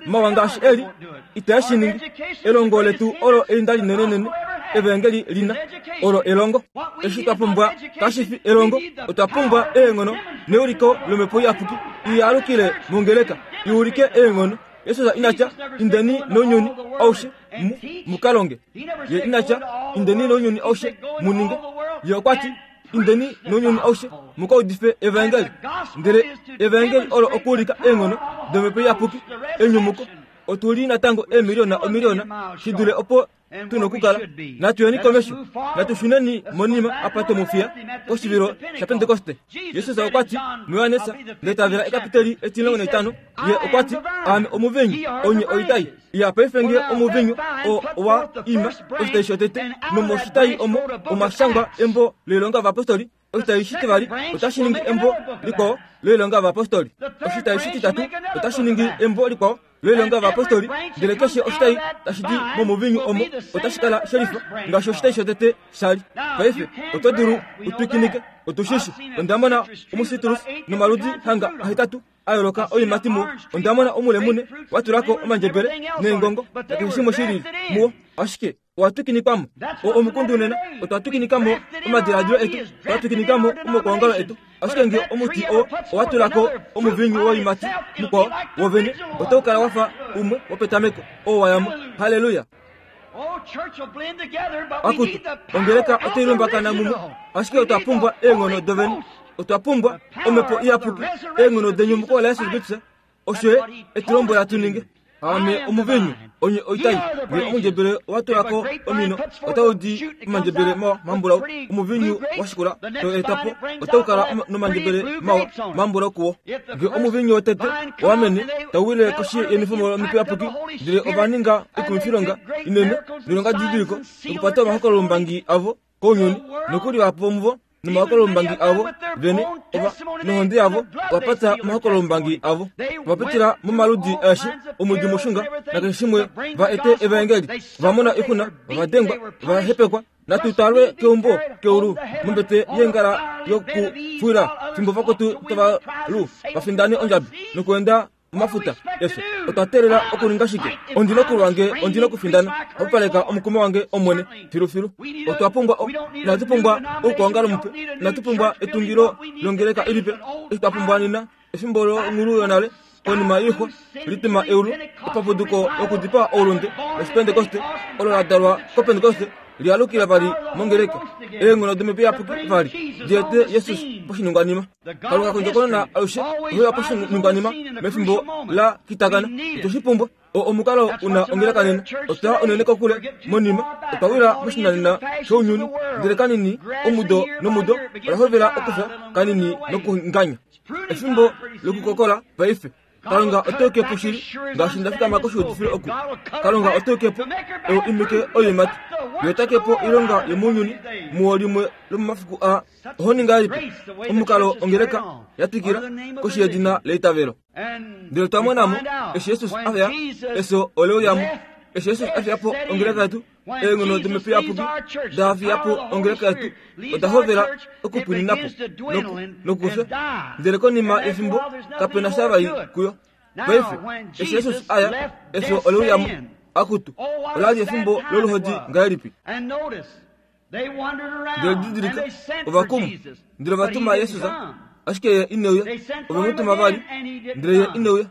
Speaker 1: mawa ngaashi e li, itae shi ningi. Elongo letu olo einda linenenene Evangeli lina, olo elongo. Eshi twa pumbwa kashi fi elongo, otwa pumbwa eenghono neuliko lOmhepo Iyapuki i alukile mongeleka i ulike eenghono. Jesus ina tya, Indeni nounyuni aushe mu, mu ka longe. Ye ina tya, Indeni nounyuni aushe mu ninge. Ye okwa ti, Indeni nounyuni aushe mu ka udife evangeli. Ndele evangeli olo okuulika eenghono dOmhepo Iyapuki, enyumuko. Otu li natango eemiliona omiliona shi dule opo tu nokukala. Natu yeni komesho, natu shuneni monima apa twe mu fiya koshivilo shaPentekoste. Jesus okwa ti muJohannes, ndele ta vela ekapiteli etimulongo naitano, ye okwa ti, Aame omuvinyu, onye oitai. Iya, paife nge omuvinyu oo owa ima oshitai shotete, nomoshitai omo omwa shangwa embo loilonga yovapostoli, Oshitayi shitivali otashi ningi embo likwao loilonga yovapostoli. Oshitayi shititatu otashi ningi embo likwao loilonga yovapostoli. Ndele keshe oshitayi tashi di momuvinyu omo otashi kala shelifa ngaashi oshitayi shotete sha li. Paife oto dulu u twikinike. Otu shi shi. Onda mona omusitrus nomaludi hanga ahetatu a yooloka oiimati muwo. Onda mona omulemune wa tula ko omandjebele neengongo nakeshe shimwe shi lili muwo. Ashike Owa twikinikwa mo. O omukundu nena, otwa twikinika mo omadiladilo etu, twa twikinika mo omaukwaongalo etu. Ashike nge omuti oo owa tula ko omuvinyu woiimati mukwao wovene, otau kala wa fa umwe wopetameko, oo wa ya mo. Halleluya! Akutu, ongeleka otai lumbakana mumwe, ashike otwa pumbwa eenghono dovene. Otwa pumbwa Omhepo Iyapuki, eenghono denyumuko laJesus Kristus. Osho ye e tu lombwela tu ninge. Aame omuvinyu, onye oitai. Nge omundjebele owa tula ko omino, otau di omandjebele mawa mambulau. Omuvinyu wa shikula to eta po, otau kala nomandjebele mawa mambulau kuwo. Nge omuvinyu wotete owa mene, tau wile koshi yenifomo lomhepo iyapuki, ndele ova ninga oikumwifilonga inene noilongadidiliko nokupata omahokololombangi avo kounyuni, nokuli vahapu vomuvo nomahokololombangi avo vene ova nohonde yavo ova pata omahokololombangi avo. Ova pitila momaludi aeshe omwiidi mushunga nakeshe shimwe va ete evaengeli. Ova mona oixuna, ova dengwa, ova hepekwa. Natu talwe keumbo keulu mombete yeengala yokufuwila fimbo vakwetu tava lu va findane ondjabi nokuenda omafuta efyo. Otwa teelela okuninga shike? Ondi nokulwa nge ondi nokufindana. Okupaleka omukumo wange Omwene filufilu. Otwa pumbwa o, inatu pumbwa oukwaongalo mupe, inatu pumbwa etungilo longeleka ilipe. Eshi twa pumbwa nena efimbo longhulu yonale konima yoixwa lituma eulu, epapuduko lokudipaa oulunde lOshipentekoste olo la dalwa kOpentekoste lialukila vali mongeleka. Eenghono domhepo iyapuki vali di ete Jesus poshiningwanima. Kalunga kondjokonona alushe ohe uya poshiningwanima mefimbo la kitakana. Otwe shi pumbwa. O omukalo u na ongeleka nena. Otwa ya unene kokule monima. Otwa wila moshinanena shounyuni. Ndele kanini, omudo nomudo, ola hovela okufya kanini nokunganya. Efimbo lokukokola paife. Kalunga ote uke po shili ngaashi nda fikama koshiudifilo oku. Kalunga ote uke po eu imike oiimati. Ye ota ke po oilonga yomounyuni muwo limwe lomomafiku aa. Oho ninga ngahelipi omukalo ongeleka ya twikila koshi yedina leitavelo? Ndele twa mona mo eshi Jesus a fya, efyo ole uya mo. Eshi Jesus a fiya po ongeleka yetu, eenghono domhepo iyapuki da fiya po ongeleka yetu, oda hovela okupwinina po nokufya. Ndele konima yefimbo kape na sha vali kuyo. Paife, eshi Jesus a ya, efyo ole uya mo. Akutu, ola li efimbo loluhodi ngahelipi! Ndele didilika, ova kuma, ndele ova tuma Jesus, ashike ye ine uya. Ove mu tuma vali, ndele ye ine uya.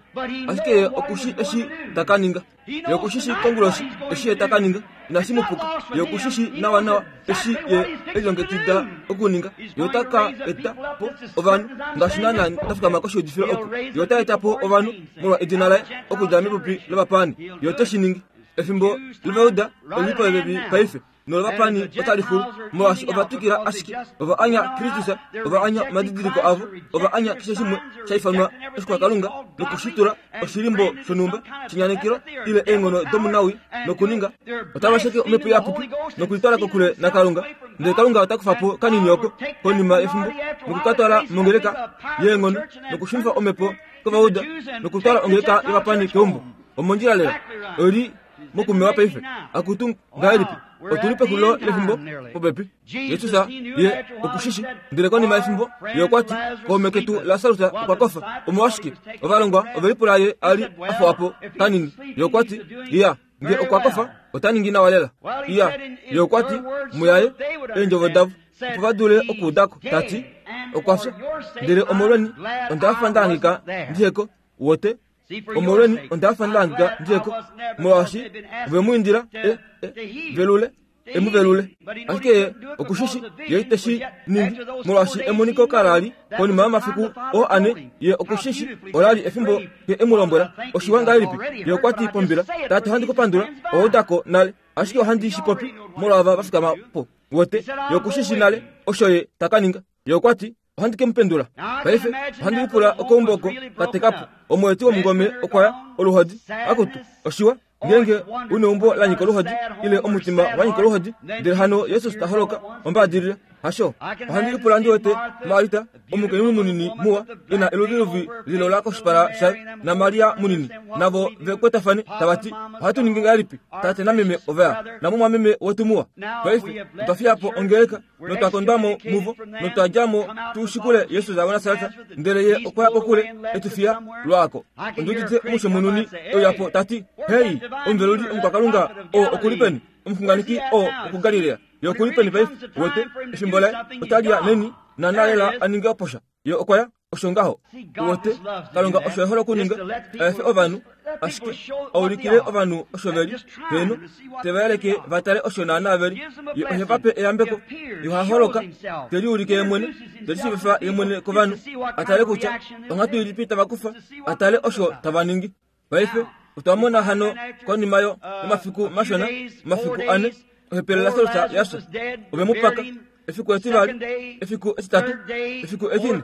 Speaker 1: Ashike ye oku shi eshi ta ka ninga. Ye oku shi shi konguloshi eshi ye ta ka ninga. Inashi mu puka. Ye oku shi shi nawanawa eshi ye e lilongekida okuninga. Ye ota ka eta po ovanhu ngaashi naanaa nda fikama koshiudifilo oku. Ye ota eta po ovanhu molwa edina laye okudja mepupi lovapaani. Ye ote shi ningi. Efimbo lOvauda oli li popepi paife. nolovapani otali xulu, molwaashi ova twikila ashike, ova anya Kristus, ova anya omadidiliko avo, ova anya keshe shimwe sha ifanwa oshikwakalunga nokushitula oshilimbo shonhumba shenyanekelo ile eenghono domunawii nokuninga otava sheke omhepo iyapuki nokulitwala kokule naKalunga. Ndele Kalunga ota kufa po kanini oko konima yefimbo noku ka twala mongeleka yeenghono nokushunifa omhepo kovauda nokutwala ongeleka yovapani keumbo. Omondjila lela. Oi li mokumewa paife. Akutu, ngahelipi? Otu li pexulilo lefimbo popepi. Jesus ye oku shi shi. Ndele konima yefimbo, ye okwa ti, Kaume ketu Lasarus okwa kofa. Omolwashike? Ovalongwa ove lipula ye a li a fuwa po kanini. Ye okwa ti, Iya, nge okwa kofa, ota ningi nawa lela. Iya, ye okwa ti, Muyaye, eendjovo davo, opo va dule okuuda ko, ta ti, Okwa fya. Ndele omolweni, onda fa nda hangika ndihe ko. Wote? Omolweni onda fa nda hangika ndihe ko, molwaashi ove mu indila e, e, velule, e mu velule. Ashike ye oku shi shi, ye ite shi ningi, molwaashi emoniko kala li konima yomafiku oo ane. Ye oku shi shi, ola li efimbo ye e mu lombwela. Oshiwa ngahelipi? Ye okwa ti pombila, Tate, ohandi ku pandula, owa uda ko nale, ashike ohandi shi popi molwaava va fikama po. Wote, ye oku shi shi nale osho ye ta ka ninga. Ye okwa ti, Ohandi ke mu pendula. Paife ohandi lipula okeumbo oko ka teka po. Omweeti womungome okwa ya, oluhodi. Akutu, oshiwa ngeenge u neumbo la nyika oluhodi ile omutima wa nyika oluhodi, ndele hano Jesus ta holoka ombaadilila. Hasho. Ohandi lipula ndi wete Marita, omukainhu munini muwa, e na eluviluvi lilola koshipala shaye, naMaria munini, navo ve kwetafane tava ti, Ohatu ningi ngahelipi? Tate nameme ova ya, namumwameme wetu muwa. Paife otwa fiya po ongeleka notwa kondwa mo muvo, notwa dja mo tu shikule Jesus waNasaret, ndele ye okwa ya kokule e tu fiya lwaako. Ondi udite omusho mununi e uya po ta ti, Hei, omuveluli omukwakalunga oo oku li peni? Omuxunganeki oo wokuGalilea, ye oku li peni paife? Uwete, efimbo laye otali ya neni, naanaa lela a ninge oposha. Ye okwa ya. Osho ngaho. Uwete, Kalunga osho e hole okuninga, a efe ovanhu, ashike a ulikile ovanhu osho ve li, heeno, te va yeleke va tale osho naanaa ve li. Ye ohe va pe eyambeko. Ye oha holoka, te liulike ye mwene, te lishiivifa ye mwene kovanhu, a tale kutya onghatu ilipi tava kufa, a tale osho tava ningi. Paife. Otwa mona hano konima yo yomafiku mashona, omafiku ane, ohepele Lasarus ya fya. Ove mu paka efiku etivali, efiku etitatu, efiku etine.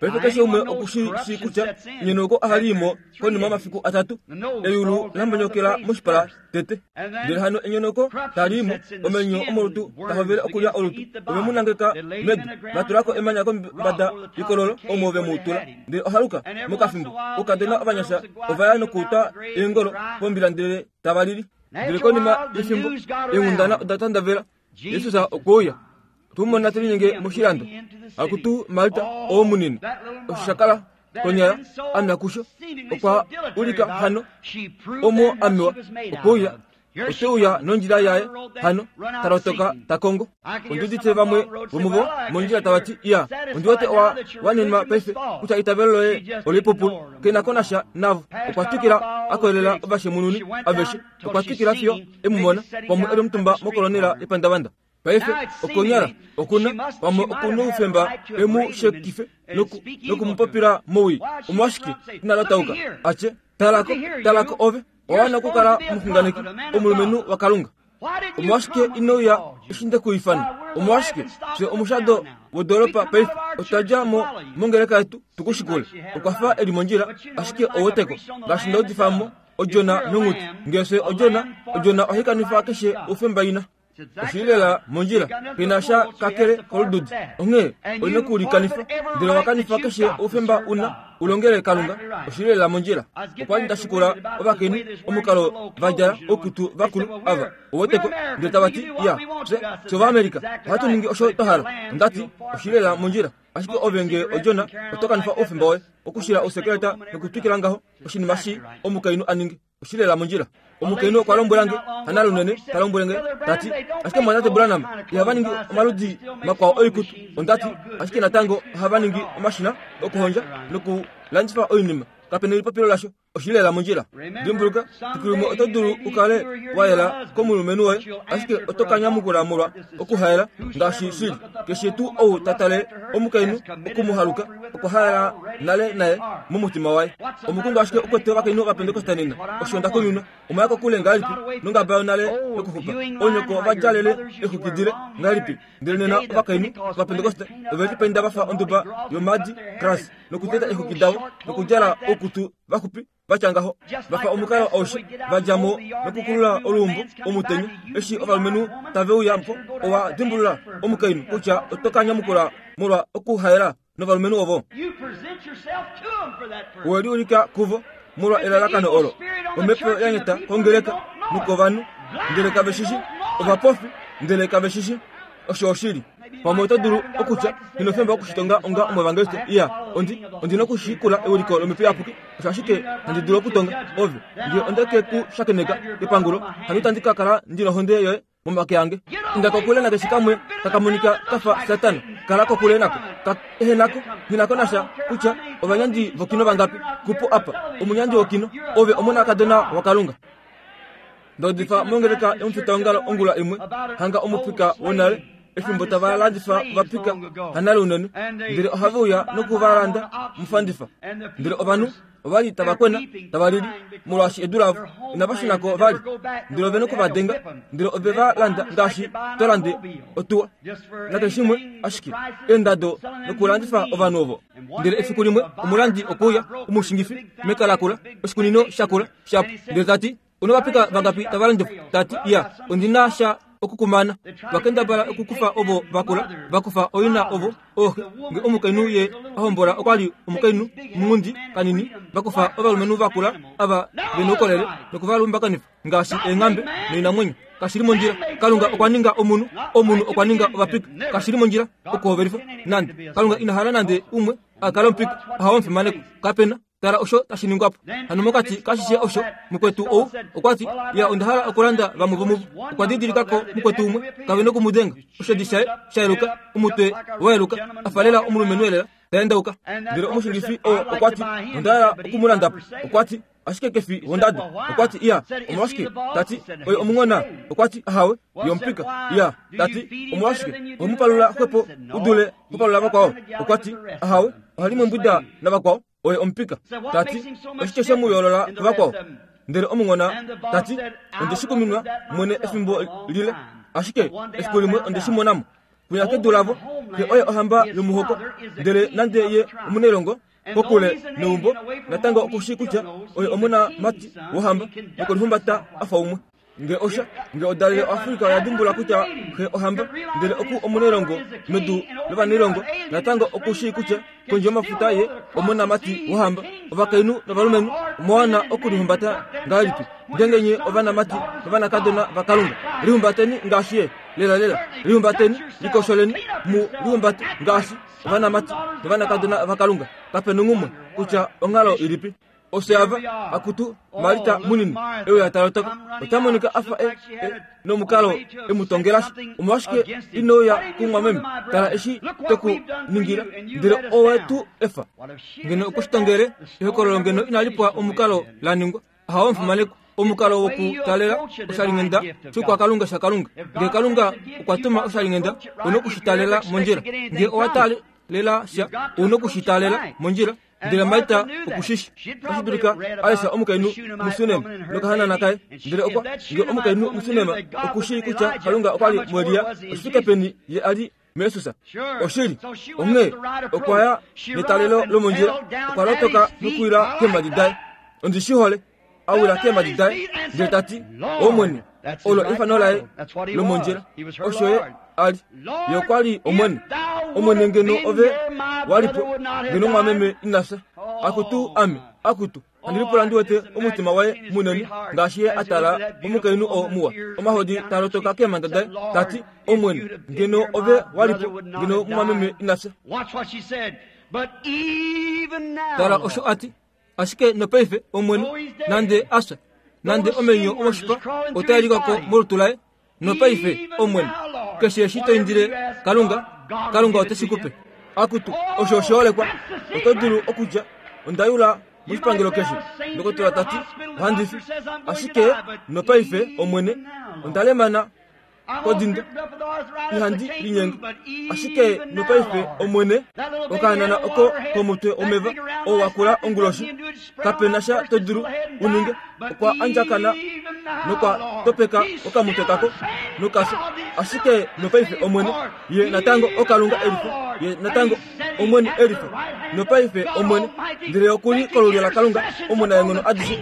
Speaker 1: Paife keshe umwe oku shi shii kutya enyonauko ohali i mo konima yomafiku atatu. Eyulu la mbonyokela moshipala tete. Ndele hano enyonauko tali i mo, omenyo omolutu ta hovele okulya olutu. Ove mu nangeka medu, va tula ko emanya kombada yekololo omo ve mu tula. Ndele ohaluka, mokafimbo, oukadona ovanyasha ova ya nokuutwa eengolo pombila ndele tava lili. Ndele konima yefimbo, eenghundana oda tandavela, Jesus okwe uya. Otwe mu mona te linyenge moshilando. Akutu Marta oo munini, osho sha kala konyala a kusho, okwa ulika hano omo a mewa. Okwe uya, ote uya nondjila yaye hano, ta lotoka ta kongo. Ondi udite vamwe vomuvo mondjila tava ti, Iya, ondi wete owa wanenwa paife kutya eitavelo loye oleipupulu. Ke na ko nasha navo. Okwa twikila a koyelela ovashemununi aveshe. Okwa twikila fiyo e mu mona, pamwe e li omutumba mokolonela yepandavanda. Paife, okonyala, oku na, pamwe oku noufemba e mu shekife noku, noku mu popila mowii. Omolwashike ina lotauka a tye, Tala ko, tala ko ove, owa wana okukala omuxunganeki, omulumenhu waKalunga. Omolwashike ino uya eshi nde ku ifana? Omolwashike fye omushado wodoolopa paife otwa dja mo mongeleka yetu tu ku shikule? Okwa fa e li mondjila, ashike ou weteko, ngaashi nda udifa mo, odjona nonghuti. Ngee fye odjona, odjona ohai kanifa keshe oufemba ina. Oshi li lela mondjila, pe na sha kakele kolududi. Onghee oi na okulikanifa, ndele owa kanifa keshe oufemba u na u longele Kalunga. Oshi li lela mondjila. Okwa li nda shikula ovakainhu omukalo va djala oukutu vakulu ava, u weteko, ndele tava ti, Ya, fye, fye Ovaamerica, ohatu ningi osho twa hala. Onda ti, Oshi li lela mondjila. Ashike ove nge odjona, oto kanifa oufemba woye okushila ousekeleta nokutwikila ngaho, oshinima shii omukainhu a ninge. Oshi lela mondjila. Omukainhu okwa lombwela nge, Hana lunene, ta lombwele nge, ta ti, Ashike mumwatate Branham, ihava ningi omaludi makwao oikutu. Onda ti, Ashike natango ohava ningi omashina okuhondja nokulandifa oinima. Kape nelipopilo lasho. Oshi lela mondjila. Dimbuluka, fiku limwe oto dulu u kale wa yela komulumenhu woye, ashike oto ka nyamukula molwa okuhaela ngaashi shili. Keshe tuu ou ta tale omukainhu oku mu haluka, okwa haela nale naye momutima waye. Omukundu ashike u kwete ovakainhu Ovapentekoste nena. Osho nda kuminwa. Omwa ya kokule ngahelipi nongaba yonale yokuxupa? Oonyoko ova djalele eexwiki dile ngahelipi? Ndele nena ovakainhu Ovapentekoste ove lipainda va fa onduba yomaadi gras nokuteta eexwiki davo nokudjala oukutu vaxupi va tya ngaho, va fa omukalo aushe, va dja mo nokukulula oluumbo omutenya. Eshi ovalumenhu tave uya po, owa dimbulula omukainhu kutya oto ka nyamukula molwa okuhaela novalumenhu ovo. Owe liulika kuvo molwa elalakano olo. Omhepo ya nyata kongeleka nokovanhu, ndele kave shi shi. Ovapofi, ndele kave shi shi. Osho oshili. Pamwe oto dulu okutya, Nghi noufemba wokushitonga onga omuevangeliste. Iya, ondi, ondi nokushikula ewiliko lOmhepo Iyapuki. Osho ashike handi dulu okutonga. Ove, nge onde ke ku shakeneka kepangulo, hano itandi ka kala ndi nohonde yoye momake ange. Inda kokule nakeshe kamwe taka monika ka fa Satana. Kala kokule nako. Ka ehena ko. Nghi na ko nasha kutya ovanyandi vokino vangapi. Kupu apa, omunyandi wokino, ove omonakadona waKalunga. Nda udifa mongeleka yomufitaongalo ongula imwe, hanga omupika wonale, efimbo tava landifa ovapika hanale unene, ndele ohave uya noku va landa mufandifa. Ndele ovanhu ova li tava kwena, tava lili, molwaashi edu lavo inava shuna ko vali. Ndele ove noku va denga, ndele ove va landa ngaashi to lande otuwa nakeshimwe, ashike eendado nokulandifa ovanhu ovo. Ndele efiku limwe omulandi okwe uya, omushingifi meka lakula, oshikunino shakula shapu, ndele ta ti, Una ovapika vangapi tava landifwa? Ta ti, Iya, ondi na sha okukumana. Va kendabala okukufa ovo va kula, va kufa oina ovo, ooxe. Nge omukainhu ye a hombola okwa li omukainhu munghundi kanini, va kufa ovalumenhu va kula ava ve noukolele noku va lumbakanifa ngaashi eenghambe noinamwenyo. Kashi li mondjila. Kalunga okwa ninga omunhu, omunhu okwa ninga ovapika. Kashi li mondjila okuhovelifa nande. Kalunga ina hala nande umwe a kale omupika. Ohawo omufimanekwa. Kape na. Tala osho tashi ningwa po. Hano mokati kashishe osho, mukwetu ou okwa ti, Ya, onda hala okulanda vamwe vomuvo. Okwa didilika ko mukwetu umwe, kave noku mu denga. Oshedi shaye sha yeluka, omutwe wa yeluka, a fa lela omulumenhu elela, ta endauka. Ndele omushingifi oo okwa ti, Onda hala oku mu landa po. Okwa ti, Ashike ke fi wondado. Okwa ti, Iya, omolwashike? Ta ti, Oye omunghona. Okwa ti, Ahawe, ye omupika. Iya, ta ti, omolwashike oho mu palula xwepo u dule ho palula vakwao? Okwa ti, Ahawe, oha li mombwida navakwao. Oye omupika. Ta ti, Oshike she mu yoolola kuvakwao? Ndele omunghona ta ti, Onde shi kuminwa mwene efimbo lile, ashike efiku limwe onde shi mona mo. Kwinya kedu lavo, xe oye ohamba yomuhoko, ndele nande ye omunailongo kokule neumbo, natango oku shii kutya oye omonamati wohamba nokolihumbata a fa umwe. Nge osha, nge odalele oAfrika oya dimbula kutya xe ohamba, ndele oku omunailongo medu lovanailongo, natango oku shii kutya kondje yomafuta ye omonamati wohamba. Ovakainhu novalumenhu omwa wana okulihumbata ngahelipi? Ngeenge nye ovanamati novanakadona vaKalunga, lihumbateni ngaashi ye. Lelalela, lihumbateni, likosholeni, mu lihumbate ngaashi ovanamati novanakadona vaKalunga. Kape nonghumwe kutya onghalo ilipi. Ofye ava, akutu Marita munini, e uya ta lotoka, ota monika a fa e, e nomukalo e mu tongela sha. Omolwashike ino uya kumwameme? Tala eshi twe ku ningila, ndele owe tu efa. Ngeno okwe shi tongele, ehokololo ngeno inali pwa omukalo la ningwa. Ahawe omufimanekwa, omukalo wokutalela oshalinghenda shoukwakalunga shaKalunga. Ngee Kalunga okwa tuma oshalinghenda, ou na oku shi talela mondjila. Ngee owa taalela sha, ou na oku shi taalela mondjila. Ndele Marta oku shi shii. Otashi dulika a lesha omukainhu muSunem nokahanana kaye. Ndele okwa, nge omukainhu muSunem oku shii kutya Kalunga okwa li muElia, oshi fike peni ye a li muJesus? Oshili. Onghee okwa ya netalelo lomondjila, okwa lotoka nokuwila keemhadi daye. Ondi shi hole. A wila keemhadi daye, ndele ta ti, Omwene, olo efano laye lomondjila. Osho ye a li. Ye okwa li Omwene. Omwene, ngeno ove wa li po, ngeno omwameme ina fya. Akutu ame, akutu, handi lipula ndi wete omutima waye munene ngaashi ye a tala omukainhu oo muwa, omahodi ta lotoka keemhanda daye, ta ti, Omwene, ngeno ove wa li po, ngeno omwameme ina fya. Tala osho a ti. Ashike nopaife, Omwene, nande a fya, nande omenyo omoshipa otaa lika ko molutu laye, nopaife, Omwene, keshe eshi to indile Kalunga, Kalunga ote shi ku pe. Akutu, osho oshiholekwa. Oto dulu okutya, Onda yula moshipangelo keshe, ndokotola ta ti, ohandi fi. Ashike nopaife, Omwene, onda lemana kodindo ihandi linyenge ashike nopaife omwene okahanana oko komutwe womeva oo wa kula onguloshi kape na sha to dulu u ninge okwa andjakana nokwa topeka okamutwe kako nokafya ashike nopaife omwene ye natango okalunga elifa ye natango omwene elifa nopaife omwene ndele okuli kolulyo lakalunga omunaenghono adishe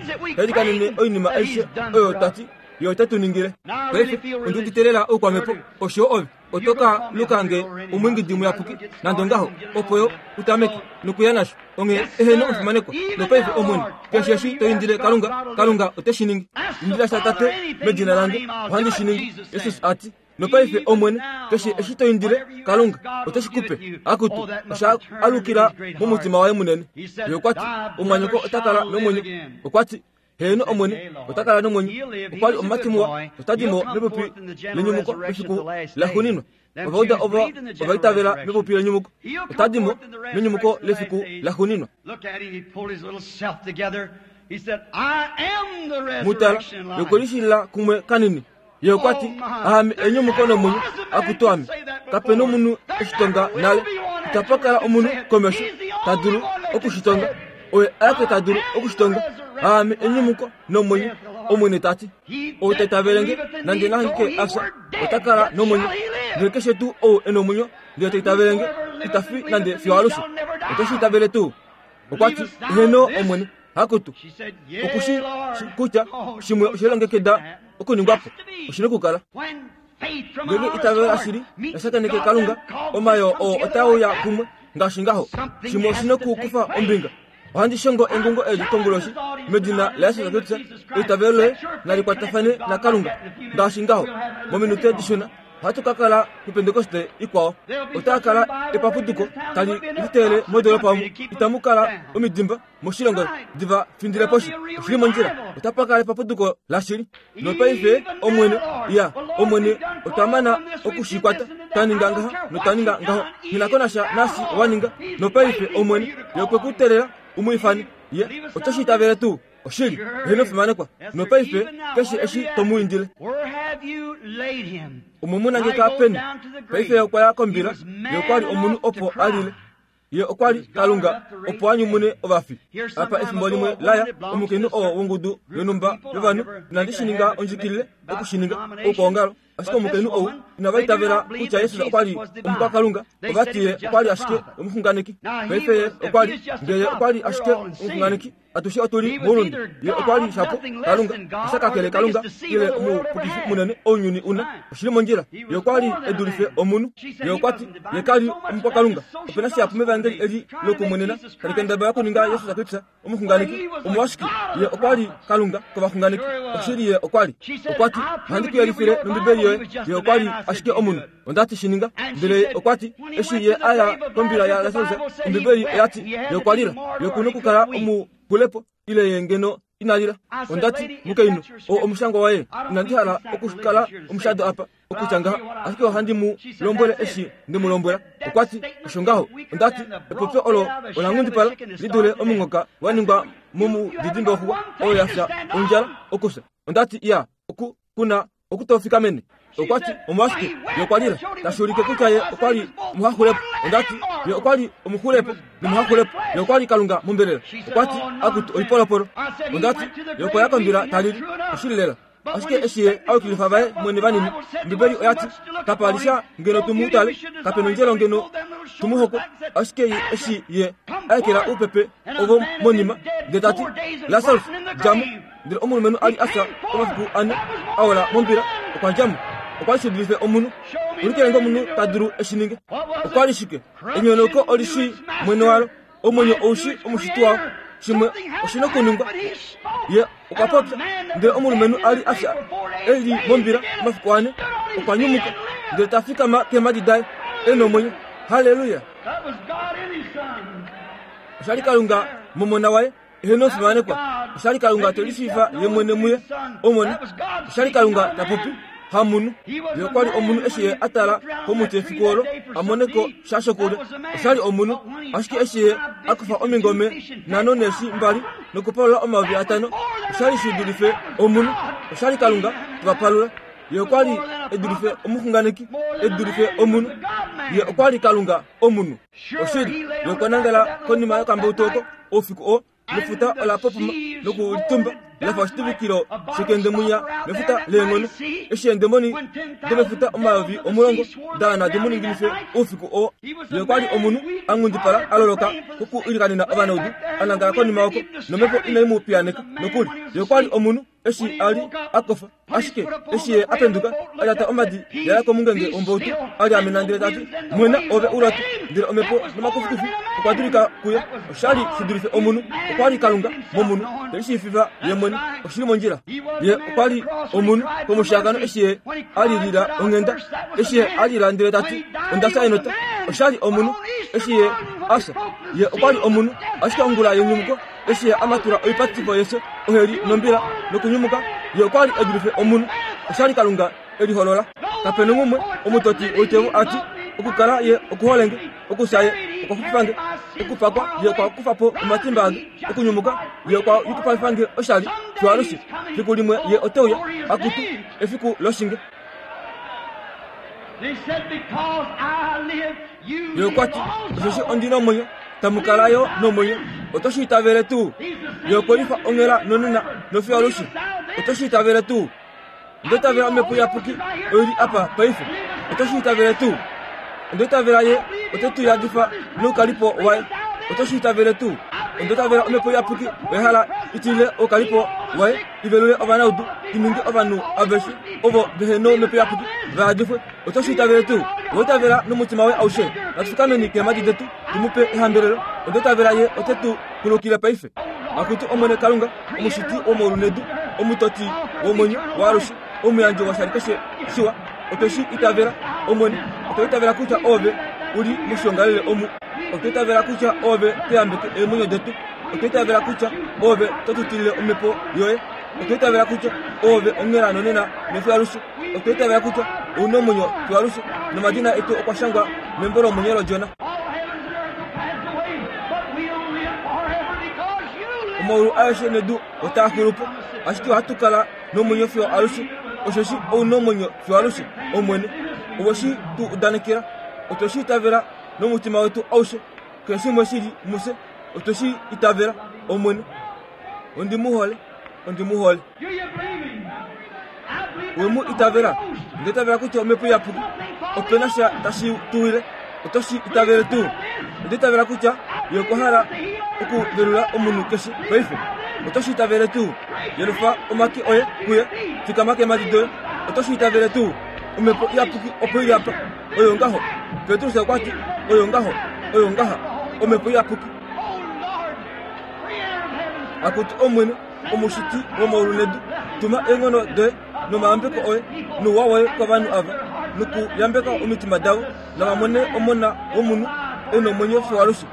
Speaker 1: ta oinima aishe oyo ta ti Ye ote tu ningile. Paife, ondi udite lela oukwamhepo, osho ove. Oto ka luka nge omwiingidi muyapuki, nande ongaho, opo yo u tameke nokuya nasho. Onghee eheno omufimanekwa. Nopaife, Omwene, keshe eshi to indile Kalunga, Kalunga ote shi ningi. Indila sha Tate medina lange, ohandi shi ningi, Jesus a ti. Nopaife, Omwene, keshe eshi to indile Kalunga, ote shi ku pe. Akutu, osha alukila momutima waye munene. Ye okwa ti, Omumwanyoko ota kala nomwenyo. Okwa ti, Heeno, Omwene, ota kala nomwenyo. Okwa li omumati muwa, ota di mo mepupi lenyumuko mefiku laxuuninwa. Ovauda ovo ova itavela mepupi lenyumuko. Ota di mo menyumuko lefiku laxuuninwa. Mu tala, ye okwe lishilila kumwe kanini. Ye okwa ti, Aame enyumuko nomwenyo, akutu ame. Kape nomunhu e shi tonga nale. Itapa kala omunhu komesho ta dulu oku shi tonga. Oye aeke ta dulu oku shi tonga. Aame enyumuko nomwenyo, Omwene ta ti. Ou ta itavele nge, nande na hangike a fya, ota kala nomwenyo. Ndele keshe tuu ou e nomwenyo ndele ta itavele nge, ita fi nande fiyo alushe. Oto shi itavele tuu? Okwa ti, Heeno, Omwene. Akutu, oku shi shi kutya shimwe oshe longekida okuningwa po, oshi na okukala. Ngeenge itavelo lashili la shakeneke Kalunga, omayoo oo otaa uya kumwe ngaashi ngaho. Shimwe oshi na okukufa ombinga. Ohandi shongo engungo eli konguloshi medina laJesus Kristus, eitavelo loye nali kwatafane naKalunga ngaashi ngaho. Mominute dishona ohatu ka kala puPentekoste ikwao. Otaa kala epapuduko tali liteele modoolopa omu itamu kala omidimba moshilongo diva findile poshi. Oshi li mondjila. Otapa kala epapuduko lashili. Nopaife, Omwene, ya, Omwene, otwa mana oku shi kwata. Twa ninga ngaha notwa ninga ngaho. Nghi na ko nasha naashi wa ninga. Nopaife, Omwene, Ye okwe ku teelela u mu ifane. Ye oto shi itavele tuu? Oshili. Ye fimanekwa. Nopaife, keshe eshi to mu indile. Omwe mu nangeka peni? Paife ye okwa ya kombila. Ye okwa li omunhu opo a lile. Ye okwa li Kalunga opo a nyumune ovafi. Apa efimbo limwe laya, omukainhu oo wongudu yonhumba yovanhu, inandi shi ninga ondjikilile oku shi ninga, oukwaongalo, ashike omukainhu ou inava itavela kutya Jesus okwa li omukwakalunga, ova ti Ye okwa li ashike omuxunganeki. Paife Ye okwa li, nge Ye okwa li ashike omuxunganeki, Atushe otu li moulunde. Ye okwa li shapo Kalunga, osha kakele Kalunga ile omupukifi munene ounyuni una. Oshi li mondjila. Ye okwa li e dulife omunhu. Ye okwa ti, Ye ka li omukwakalunga. Ope na shihapu mEvangeli eli lokumwenena tali kendabala okuninga Jesus Kristus omuxunganeki. Omolwashike, Ye okwa li Kalunga kovaxunganeki. Oshili, Ye okwa li. Okwa ti, Ohandi ku yelifile nOmbibeli yoye. Ye okwa li ashike omunhu. Onda ti, Shi ninga. Ndele ye okwa ti, Eshi ye a ya kombila yaLasarus, Ombibeli oya ti, Ye okwa lila. Ye oku nokukala omuxulepo, ile ye ngeno ina lila. Onda ti, Mukainhu, oo omushangwa waye. Inandi hala okukala omushado apa, okutya ngaha, ashike ohandi mu lombwele eshi nde mu lombwela. Okwa ti, Osho ngaho. Onda ti, Epopyo olo ola nghundipala li dule omunghoka wa ningwa momudidimbe woxuwa oyo ya fya ondjala okufya. Onda ti, Iya, oku ku na okutofikamene. Okwa ti, Omolwashike, ye okwa lila, tashi ulike kutya ye okwa li omuhaxulepo. Onda ti, Ye okwa li omuxulepo nomuhaxulepo. Ye okwa li Kalunga mombelela. Okwa ti, Akutu, oipolopolo. Onda ti, Ye okwa ya kombila ta lili. Oshili lela. Ashike eshi ye a yukilifa vaye mwene vanini, Ombibeli oya ti, Kapa li sha ngeno tu mu tale, kape nondjelo ngeno tu mu hokwe. Ashike ye eshi ye a ekela oupepe ovo monima, ndele ta ti, Lasarus, dja mo! Ndele omulumenhu a li a fya omafiku ane a ola mombila okwa dja mo. Okwa li shi dulife omunhu. Ulikile nge omunhu ta dulu e shi ninge. Okwa li shike? Enyonauko oli shii mwene walo. Omwenyo ou shii omushiti wao. Shimwe oshi nokuningwa. Ye okwa popya. Ndele omulumenhu a li a fya e li mombila omafiku ane okwa nyumuka ndele ta fikama keemhadi daye e nomwenyo. Halleluya! Osha li Kalunga momona waye. Eheno omufimanekwa, osha li Kalunga te lishiifa ye mwene muye. Omona, osha li Kalunga ta popi, hamunhu. Ye okwa li omunhu eshi ye a tala komuti efiku olo a mone ko sha shokulya. Osha li omunhu, ashike eshi ye a kufa omingome nhano neeshi mbali nokupalula 5000, osha li shi dulife omunhu. Osha li Kalunga te va palula. Ye okwa li e dulife omuxunganeki, e dulife omunhu. Ye okwa li Kalunga omunhu. Oshili, ye okwa nangala konima yokambautu oko oufiku oo, nefuta ola popoma nokulitumba la fa oshituvikilo shekendemwinya mefuta leenghono. Eshi eendemoni domefuta 10,000 da wana di mu ninginife oufiku oo. Ye okwa li omunhu a nghundipala, a loloka kokuilikanena ovanaudu, a nangala konima oko, nomhepo inai mu piyaaneka nokuli. Ye okwa li omunhu eshi a li a kofa. Ashike eshi ye a penduka, a lyata omadi ya ya komungenge wombautu, a lyaamena ndele ta ti, Mwena, ove u lwatu! Ndele omhepo nomakufikufi okwa dulika kuye. Osha li shi dulife omunhu. Okwa li Kalunga momunhu, te lishiivifa ye mwene. Oshi li mondjila. Ye okwa li omunhu komushiyakano eshi ye a lilila onghenda. Eshi ye a lila ndele ta ti, Onda fya enota. Osha li omunhu eshi ye a fya. Ye okwa li omunhu, ashike ongula yenyumuko Eshi ye a matula oipatifo yefyo, oheli nombila, nokunyumuka, ye okwa li e dulife omunhu. Osha li Kalunga e liholola. Kape nongumwe omutoti woitevo a ti, Okukala ye okuhole nge, okufya ye okwa xupifa nge, okupakwa ye okwa kufa po omatimba ange, okunyumuka ye okwa yukipalifa nge oshali fiyo alushe. Fiku limwe ye ote uya, akutu, efiku loshinge. Ye okwa ti, Osheshi ondi nomwenyo, tamu kala yo nomwenyo. Oto shi itavele tuu? Ye okwe lifa onghela nonena nofiyo alushe. Oto shi itavele tuu? Onda itavela Omhepo Iyapuki oi li apa paife. Oto shi itavele tuu? Onda itavela Ye ote tu yadifa noukalipo waye. Oto shi itavele tuu? Onda itavela Omhepo Iyapuki oya hala i tilile oukalipo waye i velule ovanaudu, i ninge ovanhu aveshe ovo vehe nomhepo iyapuki va yadifwe. Oto shi itavele tuu? Owa itavela nomutima woye aushe? Natu fikameni keemhadi detu tu mu pe ehambelelo. Onda itavela Ye ote tu kulukile paife. Akutu Omwene Kalunga, Omushiti womaulu nedu, Omutoti womwenyo waalushe, Omuyandji woshali keshe shiwa, otwe shi itavela, Omwene. Otwa itavela kutya Oove u li moshiongalele omu. Otwa itavela kutya Oove to yambeke eemwenyo detu. Otwa itavela kutya Oove to tu tilile Omhepo yoye. Otwa itavela kutya Oove onghela nonena nofiyo alushe. Otwa itavela kutya ou na omwenyo fiyo alushe, nomadina etu okwa shangwa membo lomwenyo lOdjona. Omaulu aeshe nedu otaa xulu po, ashike ohatu kala nomwenyo fiyo alushe, osheshi ou na omwenyo fiyo alushe, Omwene. Owe shi tu udanekela. Otwe shi itavela nomutima wetu aushe. Keshe shimwe shi li mufye, otwe shi itavela, Omwene. Ondi mu hole. Ondi mu hole. We mu itavela? Onda itavela kutya Omhepo Iyapuki ope na sha tashi tu wile. Oto shi itavele tuu? Onda itavela kutya Ye okwa hala okuvelula omunhu keshe paife. Oto shi itavele tuu? Yelufa omake oye kuye. Fikama keemhadi doye. Oto shi itavele tuu? Omhepo Iyapuki opo i li apa. Oyo ngaho. Petrus okwa ti, Oyo ngaho. Oyo ngaha. Omhepo Iyapuki. Akutu Omwene, Omushiti womaulu nedu, tuma eenghono doye nomayambeko oye nouwa woye kovanhu ava, nokuyambeka omitima davo, nava mone Omona wOmunhu e nomwenyo fiyo alushe.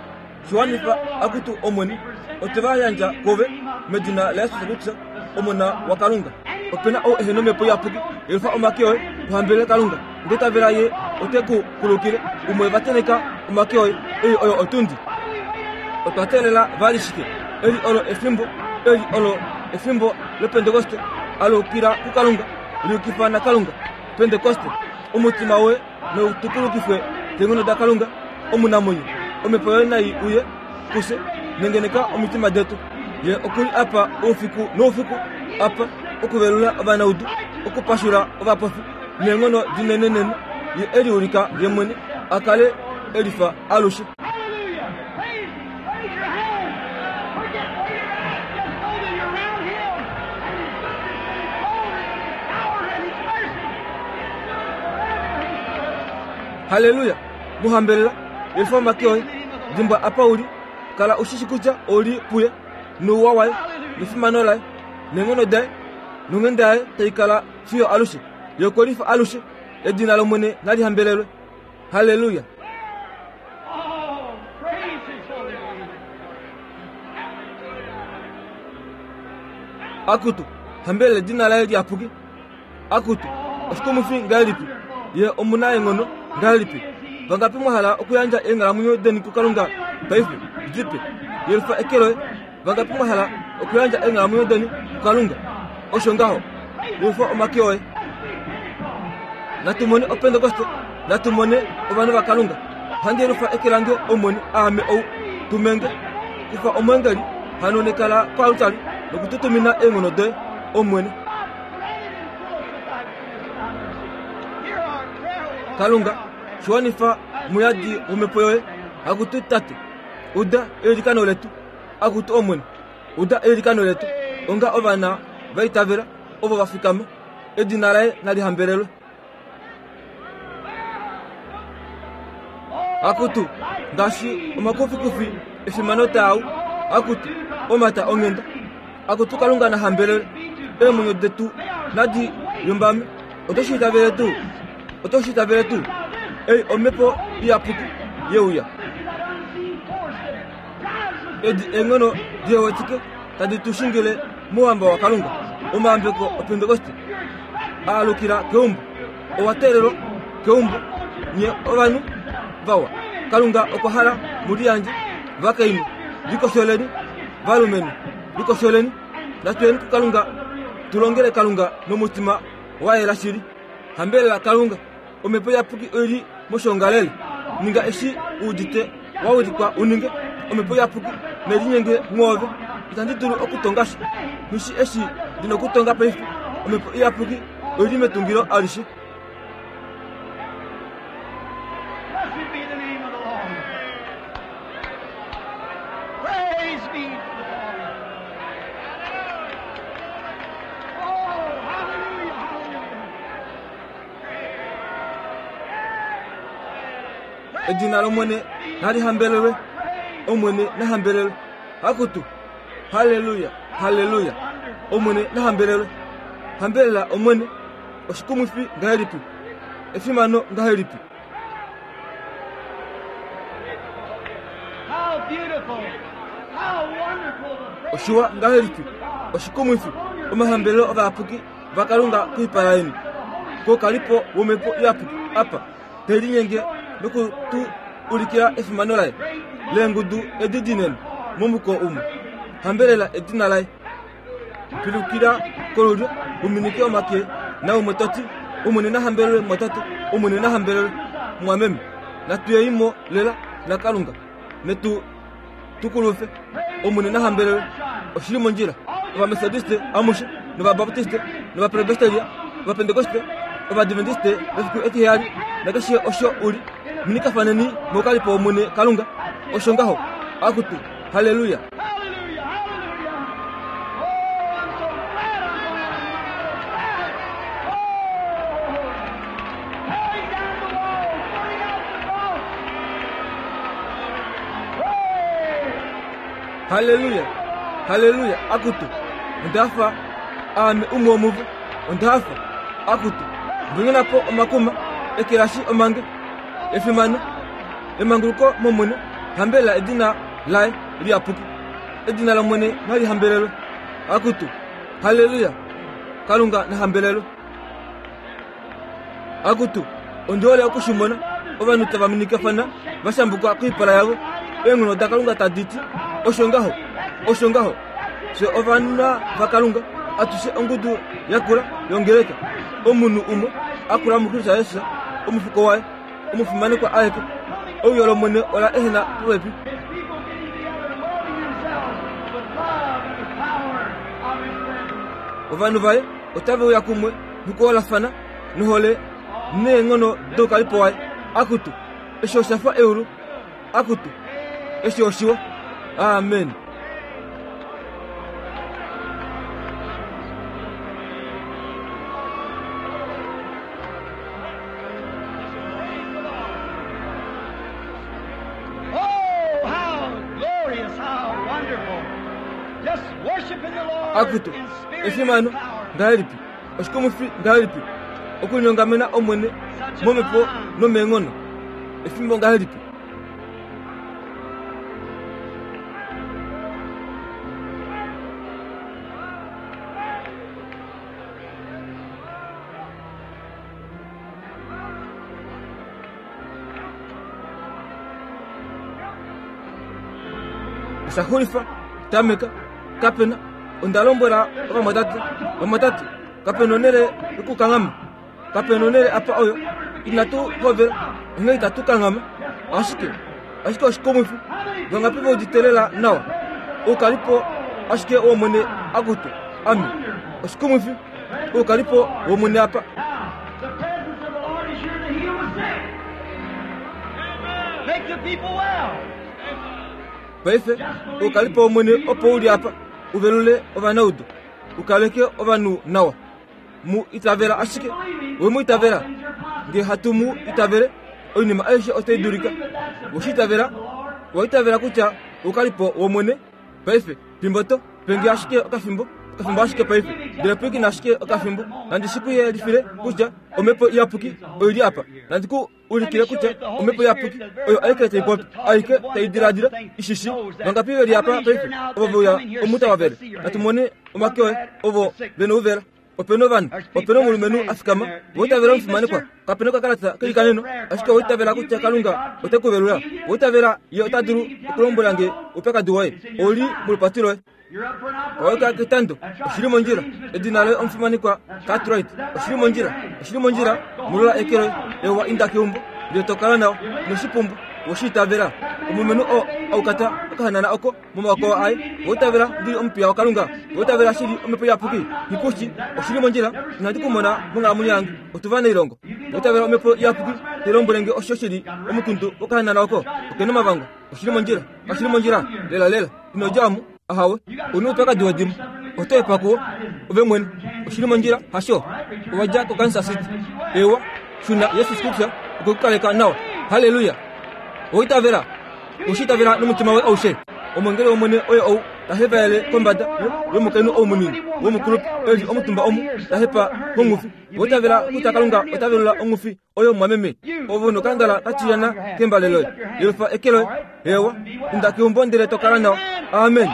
Speaker 1: Shi wanifa, akutu Omwene, otwe va yandja kwoove, medina laJesus Kristus, Omona waKalunga. Ope na ou ehe nOmhepo Iyapuki, yelufa omake oye, u hambelele Kalunga. Ndele tavela Ye ote ku kulukile, umwe va tenheka omake oye. Ei oyo otundi. Otwa teelela vali shike? Eli olo efimbo, eli olo efimbo lOpentekoste. Alukila kuKalunga, liyukifa naKalunga. Pentekoste, omutima woye nau tukulukifwe keenghono daKalunga omunamwenyo. Omhepo yoye nai uye kufye, nengeneka omitima detu. Ye oku li apa oufiku noufiku, apa, okuvelula ovanaudu, okupashula ovapofi, neenghono dinenenene. Ye e liulika Ye mwene a kale e lifa alushe. Halleluya! Mu hambelela, yelufa omake oye. Dimbwa apa u li, kala u shi shi kutya ou li puye, nouwa waye, nefimano laye, neenghono daye, nonghenda yaye tai kala fiyo alushe. Ye okwe lifa alushe. Edina lOmwene nali hambelelwe. Halleluya! Akutu, hambelela edina laye liyapuki. Akutu, oshikumwifi ngahelipi! Ye omunaenghono ngahelipi! Vangapi mwa hala okuyandja eenghalamwenyo deni kuKalunga paife? Dipe. Yelufa eke loye. Vangapi mwa hala okuyandja eenghalamwenyo deni kuKalunga? Osho ngaho. Yelufa omake oye. Natu mone Opentekoste. Natu mone ovanhu vaKalunga. Ohandi yelufa eke lange, Omwene, aame ou. Tumenge. Kufa omweengeli hano nekala koaltari noku tu tumina eenghono doye, Omwene. Kalunga, shi wanifa muyadi wOmhepo yoye. Akutu Tate, uda eilikano letu. Akutu Omwene, uda eilikano letu. Onga ovana va itavela ovo va fikama, edina laye nali hambelelwe. Akutu, ngaashi omakufikufi efimano taau, akutu, omata onghenda. Akutu Kalunga na hambelelwe. Eemwenyo detu nadi lumbame. Oto shi itavele tuu? Oto shi itavele tuu? Ei omhepo iyapuki ye uya. Edi eenghono dihewetike tadi tu shingile mouhamba waKalunga. Omayambeko Opentekoste a alukila keumbo. Owa teelelwa keumbo, nye ovanhu vawa. Kalunga okwa hala mu liyandje, vakainhu, likosholeni, valumenhu, likosholeni. Natu yeni kuKalunga tu longele Kalunga nomutima wa yela shili. Hambelela Kalunga. Omhepo Iyapuki oi li moshoongalele. Ninga eshi u udite wa wilikwa u ninge. Omhepo Iyapuki ne linyenge mwoove. Itandi dulu okutonga sha. Nghi shi eshi ndi nokutonga paife. Omhepo Iyapuki oi li metungilo alishe.
Speaker 2: Blessed be the name of the Lord. Praise be to the Lord. Oh, hallelujah, hallelujah.
Speaker 1: Edina lOmwene nali hambelelwe. Omwene na hambelelwe. Akutu. Halleluya, halleluya. Omwene na hambelelwe. Hambelela Omwene. Oshikumwifi ngahelipi! Efimano ngahelipi! Oshiwa ngahelipi! Oshikumwifi! Omahambelelo ovayapuki vaKalunga koipala yeni. Koukalipo wOmhepo Iyapuki apa, te linyenge noku tu ulikila efimano laye leengudu edi dinene momuko umwe. Hambelela edina laye. Pilukila kolulyo, u minike omake naumwe to ti, Omwene na hambelelwe, mumwatate. Omwene na hambelelwe, mumwameme. Natu ye mo lela naKalunga. Netu tukulufe. Omwene na hambelelwe. Oshi li mondjila. Ovametodiste amushe, nOvabaptiste, nOvapresbyteria, Ovapentekoste, Ovadventiste vefiku etiheyali, nakeshe osho u li, minikafaneni moukalipo wOmwene Kalunga. Osho ngaho. Akutu, halleluya! Halleluya! Halleluya! Akutu, onda hafa aame umwe womuvo. Onda hafa. Akutu, mbonyona po omakuma, ekelashi omange, efimano, emanguluko mOmwene, hambelela edina laye liyapuki. Edina lOmwene nali hambelelwe. Akutu, halleluya! Kalunga na hambelelwe. Akutu, ondi hole oku shi mona, ovanhu tava minikafana va shambuka koipala yavo, eenghono daKalunga tadi ti, Osho ngaho, osho ngaho. Fye ovana vaKalunga, atushe ongudu yakula yongeleka, omunhu umwe a kula muKristus Jesus, omufuko waye, omufimanekwa aeke. Ouyo lOmwene ola ehena popepi. Ovanhu vaye otave uya kumwe nokuholafana nohole neenghono doukalipo waye. Akutu, eshi osha fa eulu. Akutu, eshi oshiwa. Amen.
Speaker 2: Oh, how glorious, how wonderful. Just worshiping the Lord
Speaker 1: Akutu,
Speaker 2: in spirit and in
Speaker 1: efimano
Speaker 2: power.
Speaker 1: ngahelipi oshikumifi ngahelipi okulinyongamena Omwene momhepo nomeenghono efimbo ngahelipi Osha xulifa, tameka, kapena, onda lombwela ovamwatate, vamwatate, kapena onhele yokukanghama, kapena onhele apa oyo inatu hovela, onghee itatu kanghama. Ashike, ashike oshikumwifi, vangapi ve udite lela nawa? Oukalipo ashike wOmwene akutu, ame. Oshikumwifi, oukalipo wOmwene apa.
Speaker 2: The presence of the Lord is here to heal the sick. Make the people well.
Speaker 1: Paife, oukalipo wOmwene opo u li apa, u velule ovanaudu, u kaleke ovanhu nawa. Mu itavela ashike. We mu itavela? Nge hatu mu itavele, oinima aishe otai dulika. We shi itavela? Owa itavela kutya oukalipo wOmwene? Paife, fimbo to pe nge ashike okafimbo, okafimbo ashike paife, ndele pwilikina ashike okafimbo, nandi shi ku yelifile kutya Omhepo Iyapuki oi li apa. Nandi ku ulikile kutya Omhepo Iyapuki oyo aike tai popi, aike tai diladila, i shi shii. Vangapi ve li apa paife ovo ve uya omu tava vele? Natu mone omake oye, ovo ve nouvela. Ope na ovanhu, ope na omulumenhu a fikama, owa itavela omufimanekwa, kape na okakalata keilikaneno, ashike owa itavela kutya Kalunga ote ku velula. Owa itavela Ye ota dulu okulombwela nge oupyakadi woye? Ou li molupati loye. Owa yuka ketando. Oshi li mondjila. Edina loye omufimanekwa Cartwright. Oshi li mondjila. Oshi li mondjila. Molola eke loye. Ewa, inda keumbo, ndele to kala nawa. Ino shi pumbwa. Owe shi itavela? Omulumenhu oo a ukata okahanana oko momaoko aye, owa itavela ndi li omupiya waKalunga? Owa itavela shili Omhepo Iyapuki? Nghikushi, oshi li mondjila, inandi ku mona monghalamwenyo yange. Otu va neilongo. Owa itavela Omhepo Iyapuki tai lombwele nge osho shi li omukundu wokahanana oko? Oke na omavangwa. Oshi li mondjila. Kashi li mondjila? Lelalela. Ino dja omu. Ahawe. U na oupyakadi wedimo. Oto efa kuwo, ove mwene. Oshi li mondjila, hasho? Owa dja koKansas City. Ewa, shuna, Jesus Kristus okwe ku kaleka nawa. Halleluya! Owa itavela? Owe shi itavela nomutima woye aushe? Omwengeli wOmwene oye ou ta hepaele kombada yomukainhu ou munini womukulupe e li omutumba omu, ta hepa kongufi. Owa itavela kutya Kalunga ota velula ongufi oyo mumwameme? Ove nokangala ka tilyana kembale loye. Yelufa eke loye. Ewa, inda keumbo ndele to kala nawa. Amen.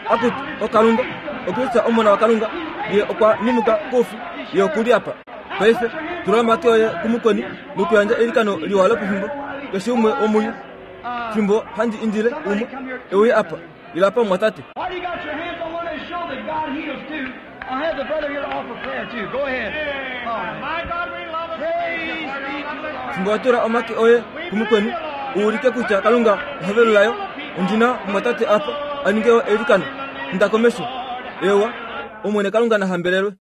Speaker 1: Akutu, oKalunga, oKristus Omona waKalunga, Ye okwa nyumuka koufi, Ye oku li apa. Paife, tula omake oye kumukweni nokuyandja eilikano liwa lopefimbo, keshe umwe womunye. Fimbo handi indile umwe e uye apa, ila apa mumwatate.
Speaker 2: While you got your hands on one another's shoulder, God heals too. I'll have the brother here to offer prayer too. Go ahead. All right.
Speaker 3: My God, we love and
Speaker 2: Praise be to the Lord.
Speaker 1: Fimbo wa tula omake oye kumukweni, U ulike kutya Kalunga oha velula yo. Ondi na omumwatate apa a ninge yo eilikano. Inda komesho. Eewa. Omwene Kalunga na hambelelwe.